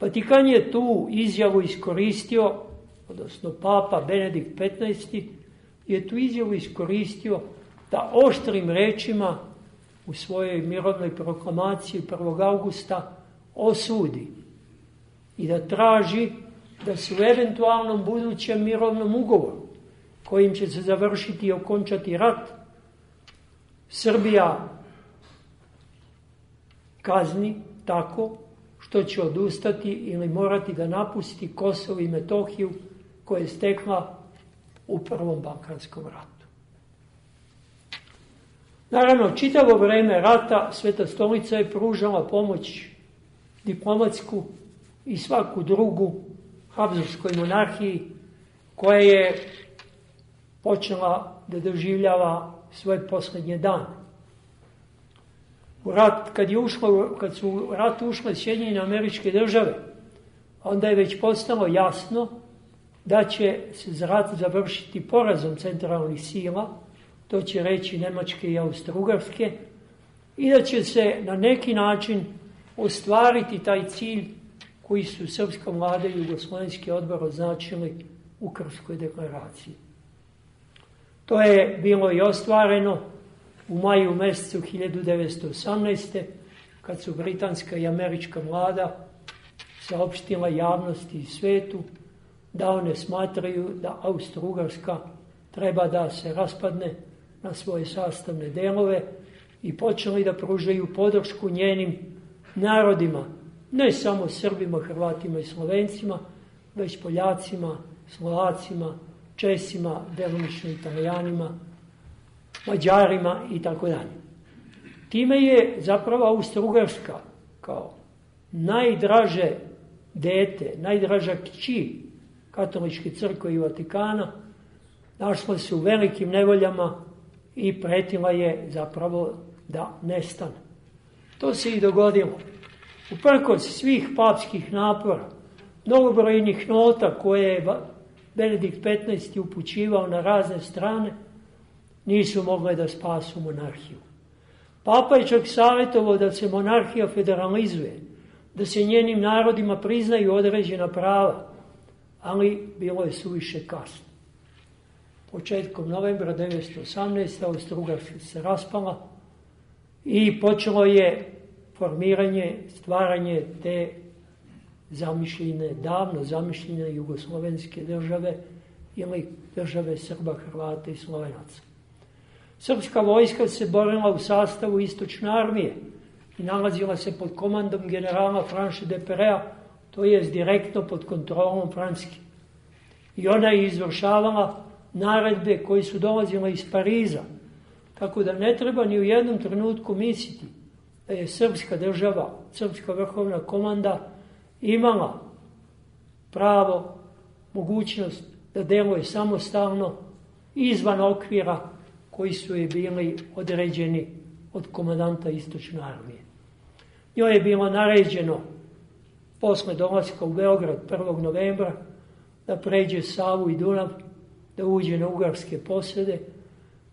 Vatikan je tu izjavu iskoristio, odnosno Papa Benedikt XV je tu izjavu iskoristio da oštrim rečima u svojoj mirovnoj proklamaciji 1. augusta osudi i da traži da se u eventualnom budućem mirovnom ugovoru, kojim će se završiti i okončati rat, Srbija kazni tako što će odustati ili morati da napusti Kosovo i Metohiju koje je stekla u Prvom Balkanskom ratu. Naravno, čitavo vreme rata Sveta stolica je pružala pomoć diplomatsku i svaku drugu Habsburškoj monarhiji koja je počela da doživljava svoje posljednje dane. Kad su u rat ušle Sjedinjene Američke Države, onda je već postalo jasno da će se rat završiti porazom centralnih sila, to će reći Nemačke i Austro-Ugarske, i da će se na neki način ostvariti taj cilj koji su srpska vlada i Jugoslovenski odbor označili u Krfskoj deklaraciji. To je bilo i ostvareno u maju mesecu 1918. kad su britanska i američka vlada saopštila javnosti i svetu da one smatraju da Austro-Ugarska treba da se raspadne na svoje sastavne delove i počeli da pružaju podršku njenim narodima, ne samo Srbima, Hrvatima i Slovencima, već Poljacima, Slovacima, Česima, delimično Italijanima, Mađarima i tako dalje. Time je zapravo Austro-Ugarska kao najdraže dete, najdraža kći katoličke crkve i Vatikana našla se u velikim nevoljama i pretila je zapravo da nestane. To se i dogodilo. Uprkos svih papskih napora, mnogobrojnih nota koje je Benedikt XV upućivao na razne strane, nisu mogle da spasu monarhiju. Papa je čak savjetovao da se monarhija federalizuje, da se njenim narodima priznaju određena prava, ali bilo je suviše kasno. Početkom novembra 1918. Austro-Ugarska se raspala i počelo je formiranje, stvaranje te davno zamišljene jugoslovenske države ili države Srba, Hrvata i Slovenaca. Srpska vojska se borila u sastavu Istočne armije i nalazila se pod komandom generala Franše de Perea, to je direktno pod kontrolom Francuske. I ona je izvršavala naredbe koje su dolazile iz Pariza, tako da ne treba ni u jednom trenutku misliti da je srpska država, srpska vrhovna komanda imala pravo, mogućnost da deluje samostalno izvan okvira koji su je bili određeni od komandanta Istočne armije. Njoj je bilo naređeno posle dolaska u Beograd 1. novembra da pređe Savu i Dunav, da uđe na ugarske posede,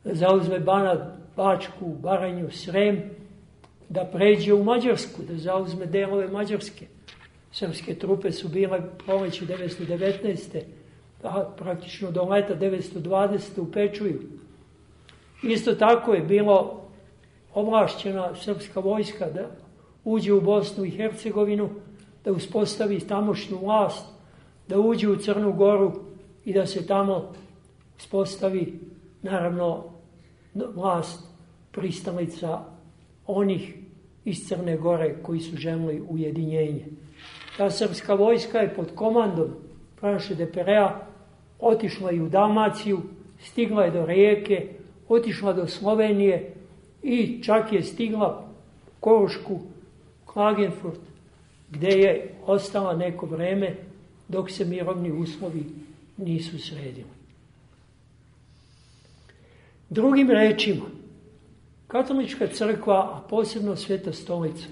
da zauzme Banat, Bačku, Baranju, Srem, da pređe u Mađarsku, da zauzme delove Mađarske. Srpske trupe su bile proleće 1919. Praktično do leta 1920. u Pečuju. Isto tako je bilo ovlašćena srpska vojska da uđe u Bosnu i Hercegovinu, da uspostavi tamošnju vlast, da uđe u Crnu Goru i da se tamo uspostavi, naravno, vlast pristalica onih iz Crne Gore koji su želili ujedinjenje. Ta srpska vojska je pod komandom Franše de Perea otišla i u Dalmaciju, stigla je do Rijeke, otišla do Slovenije i čak je stigla Korušku, Klagenfurt, gde je ostala neko vreme dok se mirovni uslovi nisu sredili. Drugim rečima, katolička crkva, a posebno Sveta stolica,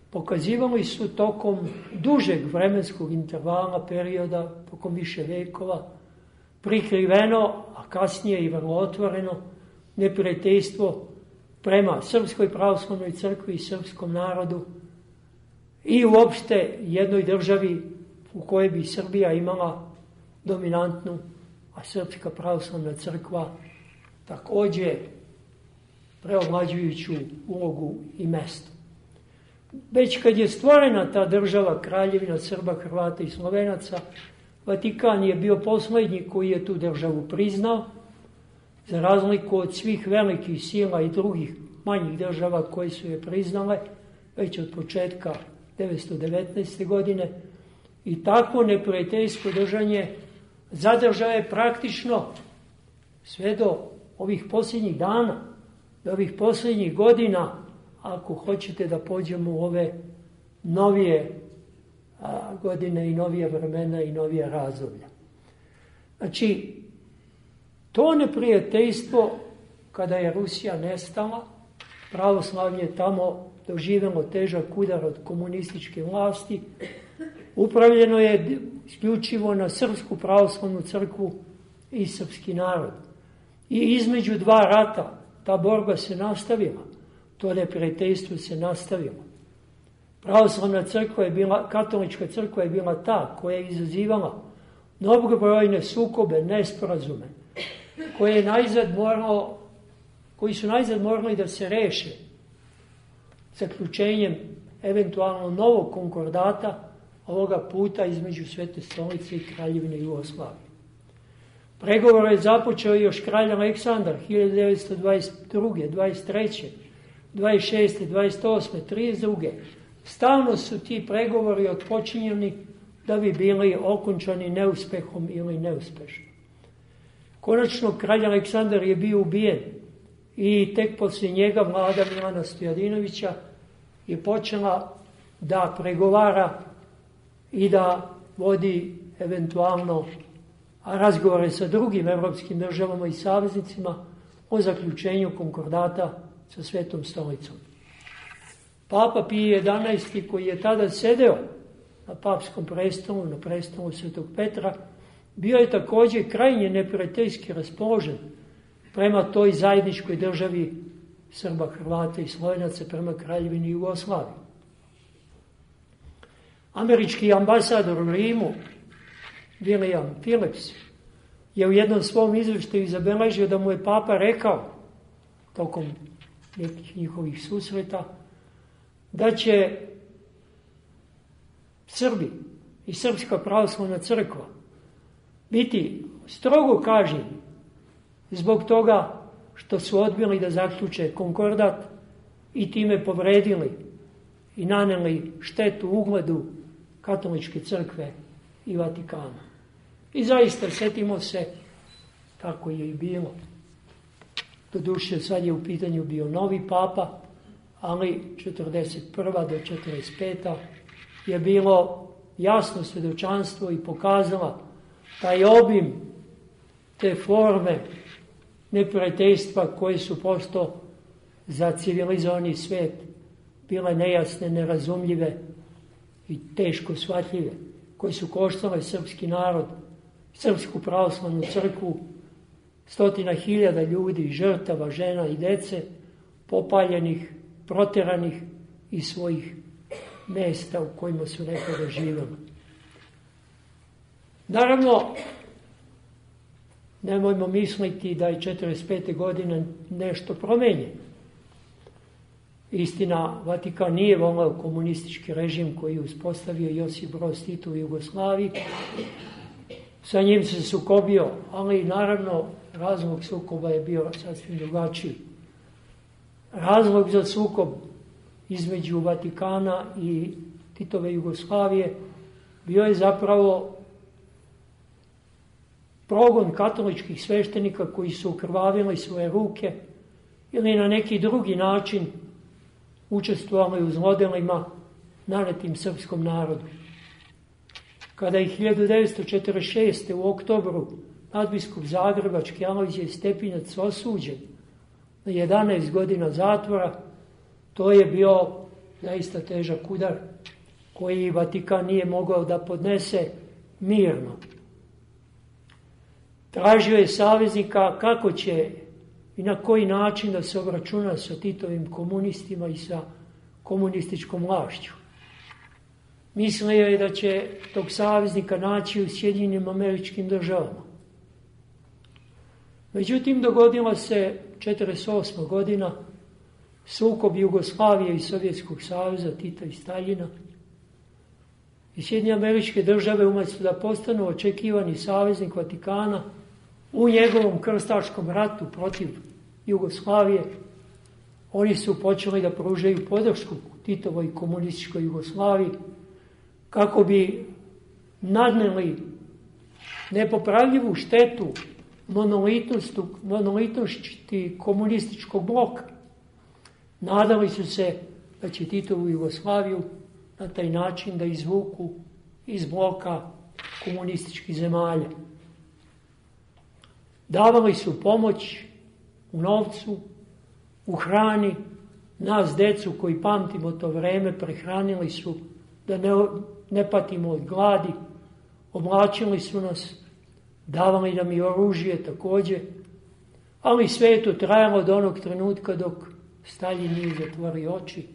pokazivali su tokom dužeg vremenskog intervala, perioda, tokom više vekova, prikriveno, a kasnije i vrlo otvoreno, neprijateljstvo prema Srpskoj pravoslavnoj crkvi i srpskom narodu i uopšte jednoj državi u kojoj bi Srbija imala dominantnu, a Srpska pravoslavna crkva takođe preovlađujuću ulogu i mesto. Već kad je stvorena ta država, Kraljevina Srba, Hrvata i Slovenaca, Vatikan je bio poslednji koji je tu državu priznao, za razliku od svih velikih sila i drugih manjih država koje su je priznale već od početka 1919. godine. I takvo neprijateljsko držanje zadržao je praktično sve do ovih posljednjih dana, do ovih posljednjih godina, ako hoćete da pođemo u ove novije godine i novije vremena i novije razdoblja. Znači, to neprijateljstvo, kada je Rusija nestala, pravoslavlje je tamo doživjelo težak udar od komunističke vlasti, upravljeno je isključivo na Srpsku pravoslavnu crkvu i srpski narod. I između dva rata ta borba se nastavila, to neprijateljstvo se nastavilo. Pravoslavna crkva je bila, katolička crkva je bila ta koja je izazivala mnogobrojne sukobe, nesporazume, koji su najzad morali da se reše zaključenjem eventualno novog konkordata, ovoga puta između Svete stolice i Kraljevine Jugoslavije. Pregovor je započeo još kralj Aleksandar 1922. 23. 26. 28. 32. Stalno su ti pregovori otpočinjeni da bi bili okončani neuspehom ili neuspešno. Konačno, kralj Aleksandar je bio ubijen i tek poslije njega vlada Milana Stojadinovića je počela da pregovara i da vodi eventualno razgovore sa drugim evropskim državama i saveznicima o zaključenju konkordata sa Svetom stolicom. Papa Pije XI, koji je tada sedeo na papskom prestolu, na prestolu Svetog Petra, bio je također krajnje neprijateljski raspoložen prema toj zajedničkoj državi Srba, Hrvata i Slovenaca, prema Kraljevini Jugoslavije. Američki ambasador u Rimu, William Phillips, je u jednom svom izveštaju zabeležio da mu je papa rekao, tokom nekih njihovih susreta, da će Srbi i Srpska pravoslavna crkva biti strogo kažnjeni zbog toga što su odbili da zaključe konkordat i time povredili i naneli štetu ugledu katoličke crkve i Vatikana. I zaista, setimo se, tako je i bilo. Doduše, sad je u pitanju bio novi papa, ali 41. do 45. je bilo jasno svedočanstvo i pokazala taj obim, te forme neprijateljstva koje su posto za civilizovani svet bile nejasne, nerazumljive i teško shvatljive, koje su koštale srpski narod, Srpsku pravoslavnu crkvu, 100.000 ljudi, žrtava, žena i dece, popaljenih, proteranih iz svojih mesta u kojima su nekada živjeli. Naravno, nemojmo misliti da je 45. godine nešto promenjeno. Istina, Vatikan nije voleo komunistički režim koji je uspostavio Josip Broz Tito u Jugoslaviji. Sa njim se sukobio, ali naravno razlog sukoba je bio sasvim drugačiji. Razlog za sukob između Vatikana i Titove Jugoslavije bio je zapravo progon katoličkih sveštenika koji su ukrvavili svoje ruke ili na neki drugi način učestvovali u zlodelima nanetim srpskom narodu. Kada je 1946. u oktobru nadbiskup zagrebački Alojzije Stepinac osuđen na 11 godina zatvora, to je bio zaista težak udar koji Vatikan nije mogao da podnese mirno. Tražio je saveznika kako će i na koji način da se obračuna sa Titovim komunistima i sa komunističkom vlašću. Mislio je da će tog saveznika naći u Sjedinjenim Američkim Državama. Međutim, dogodila se 1948. godina, sukob Jugoslavije i Sovjetskog saveza, Tita i Staljina. I Sjedinjene Američke Države, umjesto da postanu očekivani saveznik Vatikana u njegovom krstaškom ratu protiv Jugoslavije, oni su počeli da pružaju podršku Titovoj komunističkoj Jugoslaviji kako bi nadneli nepopravljivu štetu monolitnosti komunističkog bloka. Nadali su se da će Titovu Jugoslaviju na taj način da izvuku iz bloka komunističkih zemalja. Davali su pomoć u novcu, u hrani. Nas, decu koji pamtimo to vreme, prehranili su da ne patimo od gladi, oblačili su nas, davali nam i oružje također, ali sve je to trajalo do onog trenutka dok Staljin nije zatvorio oči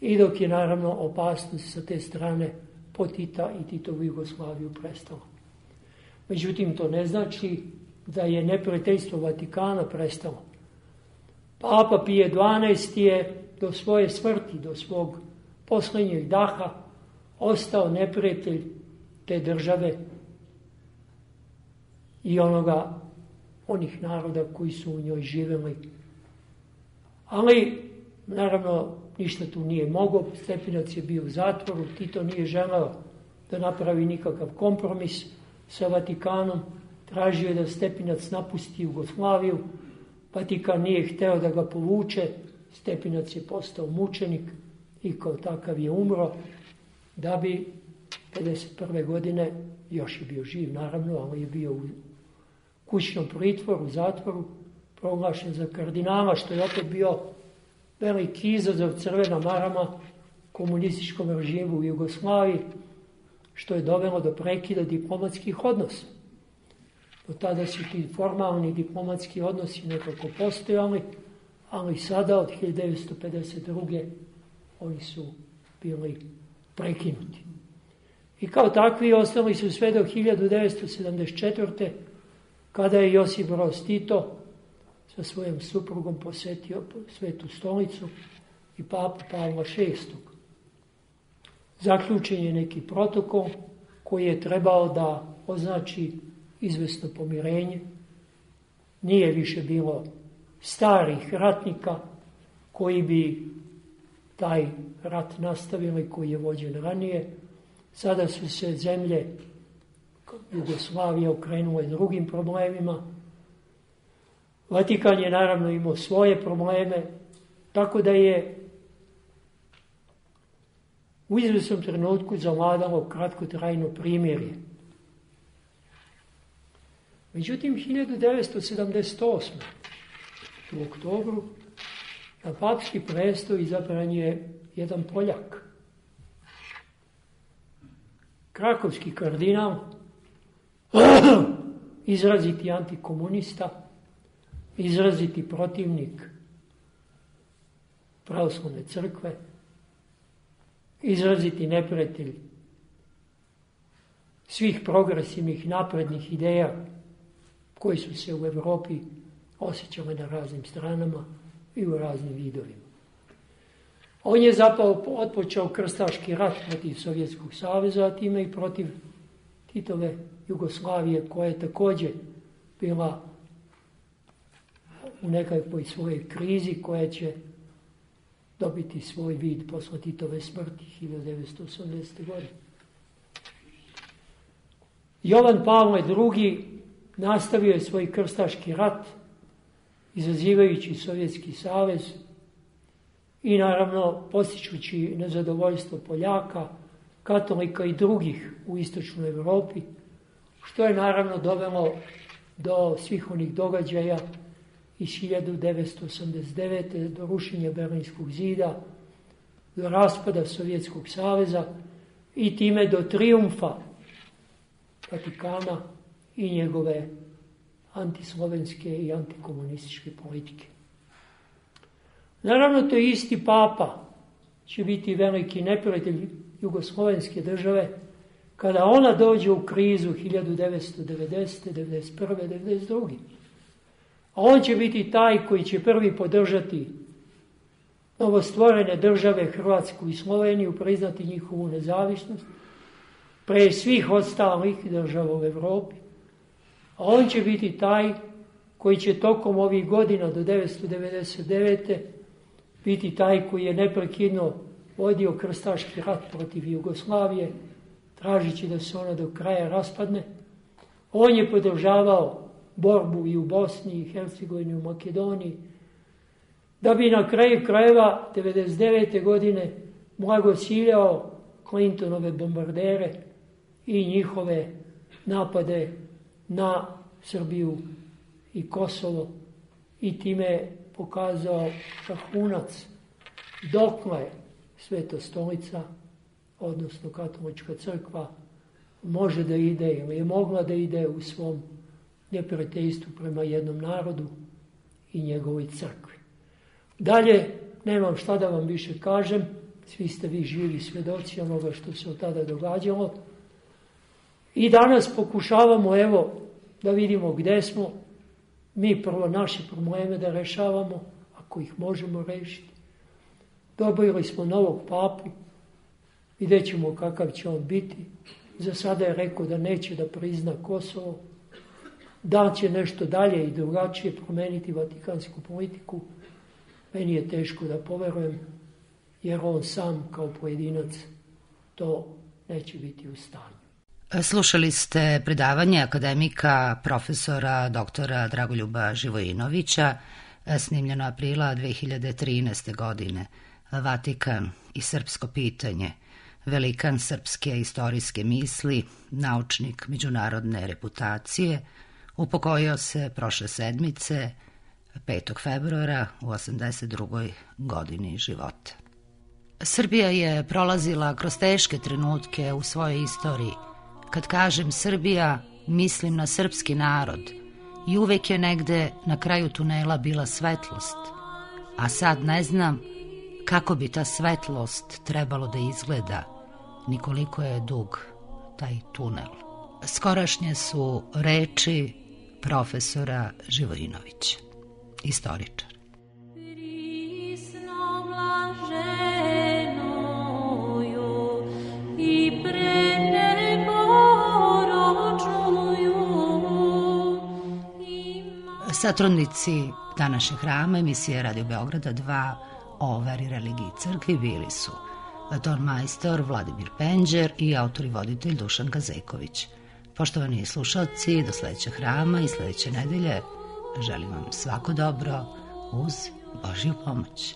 i dok je naravno opasnost sa te strane po Tita i Titovu Jugoslaviju prestala. Međutim, to ne znači da je neprijateljstvo Vatikana prestalo. Papa Pije XII je do svoje smrti, do svog posljednjeg daha, ostao neprijatelj te države i onih naroda koji su u njoj živjeli. Ali, naravno, ništa tu nije mogao. Stepinac je bio u zatvoru, Tito nije želeo da napravi nikakav kompromis sa Vatikanom. Tražio je da Stepinac napusti Jugoslaviju. Vatikan nije hteo da ga povuče. Stepinac je postao mučenik i kao takav je umro, da bi 1951. godine, još je bio živ naravno, ali je bio u kućnom pritvoru, u zatvoru, proglašen za kardinala, što je opet bio veliki izazov, crvena marama komunističkom režimu u Jugoslaviji, što je dovelo do prekida diplomatskih odnosa. Do tada su ti formalni diplomatski odnosi nekako postojali, ali sada od 1952. oni su bili prekinuti. I kao takvi ostali su sve do 1974. kada je Josip Broz Tito sa svojom suprugom posetio Svetu stolicu i papu Pavla VI. Zaključen je neki protokol koji je trebao da označi izvesno pomirenje. Nije više bilo starih ratnika koji bi taj rat nastavili, koji je vođen ranije. Sada su se zemlje Jugoslavije okrenule drugim problemima. Vatikan je naravno imao svoje probleme, tako da je u izvesnom trenutku zavladalo kratkotrajno primirje. Međutim, 1978. u oktobru na papski presto izabran je jedan Poljak. Krakovski kardinal, izraziti antikomunista, izraziti protivnik pravoslavne crkve, izraziti neprijatelj svih progresivnih naprednih ideja koji su se u Evropi osjećale na raznim stranama i u raznim vidovima. On je zapravo otpočeo krstaški rat protiv Sovjetskog saveza, a time i protiv Titove Jugoslavije, koja je također bila u nekakvoj svojoj krizi, koja će dobiti svoj vid posle Titove smrti 1980. godine. Jovan Pavle II. Nastavio je svoj krstaški rat, izazivajući Sovjetski savez i naravno postičući nezadovoljstvo Poljaka, katolika i drugih u istočnoj Evropi, što je naravno dovelo do svih onih događaja iz 1989. do rušenja Berlinskog zida, do raspada Sovjetskog saveza i time do trijumfa Vatikana i njegove antislovenske i antikomunističke politike. Naravno, to je isti papa će biti veliki neprijatelj jugoslovenske države kada ona dođe u krizu 1990. 1991. 1992. A on će biti taj koji će prvi podržati novostvorene države Hrvatsku i Sloveniju, priznati njihovu nezavisnost pre svih ostalih država u Evropi. A on će biti taj koji će tokom ovih godina do 1999. biti taj koji je neprekidno vodio krstaški rat protiv Jugoslavije, tražići da se ona do kraja raspadne. On je podržavao borbu i u Bosni, i Hercegovini, i u Makedoniji, da bi na kraju krajeva 1999. godine blagociljao Clintonove bombardere i njihove napade na Srbiju i Kosovo i time pokazao vrhunac dokle Sveta stolica, odnosno Katolička crkva, može da ide ili je mogla da ide u svom neprijateljstvu prema jednom narodu i njegovoj crkvi. Dalje, nemam šta da vam više kažem, svi ste vi živi svjedoci onoga što se od tada događalo. I danas pokušavamo, evo, da vidimo gde smo, mi prvo naše probleme da rešavamo, ako ih možemo rešiti. Dobili smo novog papu, vidjet ćemo kakav će on biti. Za sada je rekao da neće da prizna Kosovo, da će nešto dalje i drugačije promeniti vatikansku politiku. Meni je teško da poverujem, jer on sam kao pojedinac to neće biti u stanju. Slušali ste predavanje akademika profesora doktora Dragoljuba Živojinovića, snimljeno aprila 2013. godine. Vatikan i srpsko pitanje, velikan srpske istorijske misli, naučnik međunarodne reputacije, upokojio se prošle sedmice, 5. februara u 82. godini života. Srbija je prolazila kroz teške trenutke u svojoj istoriji. Kad kažem Srbija, mislim na srpski narod i uvek je negde na kraju tunela bila svetlost, a sad ne znam kako bi ta svetlost trebalo da izgleda, ni koliko je dug taj tunel. Skorašnje su reči profesora Živojinovića, istoričar. Satrudnici današnjeg hrama emisije Radio Beograda 2 o veri, religiji i crkvi bili su tonmajstor Vladimir Penđer i autor i voditelj Dušan Gazeković. Poštovani slušalci, do sledećeg hrama i sledeće nedelje želim vam svako dobro uz Božju pomoć.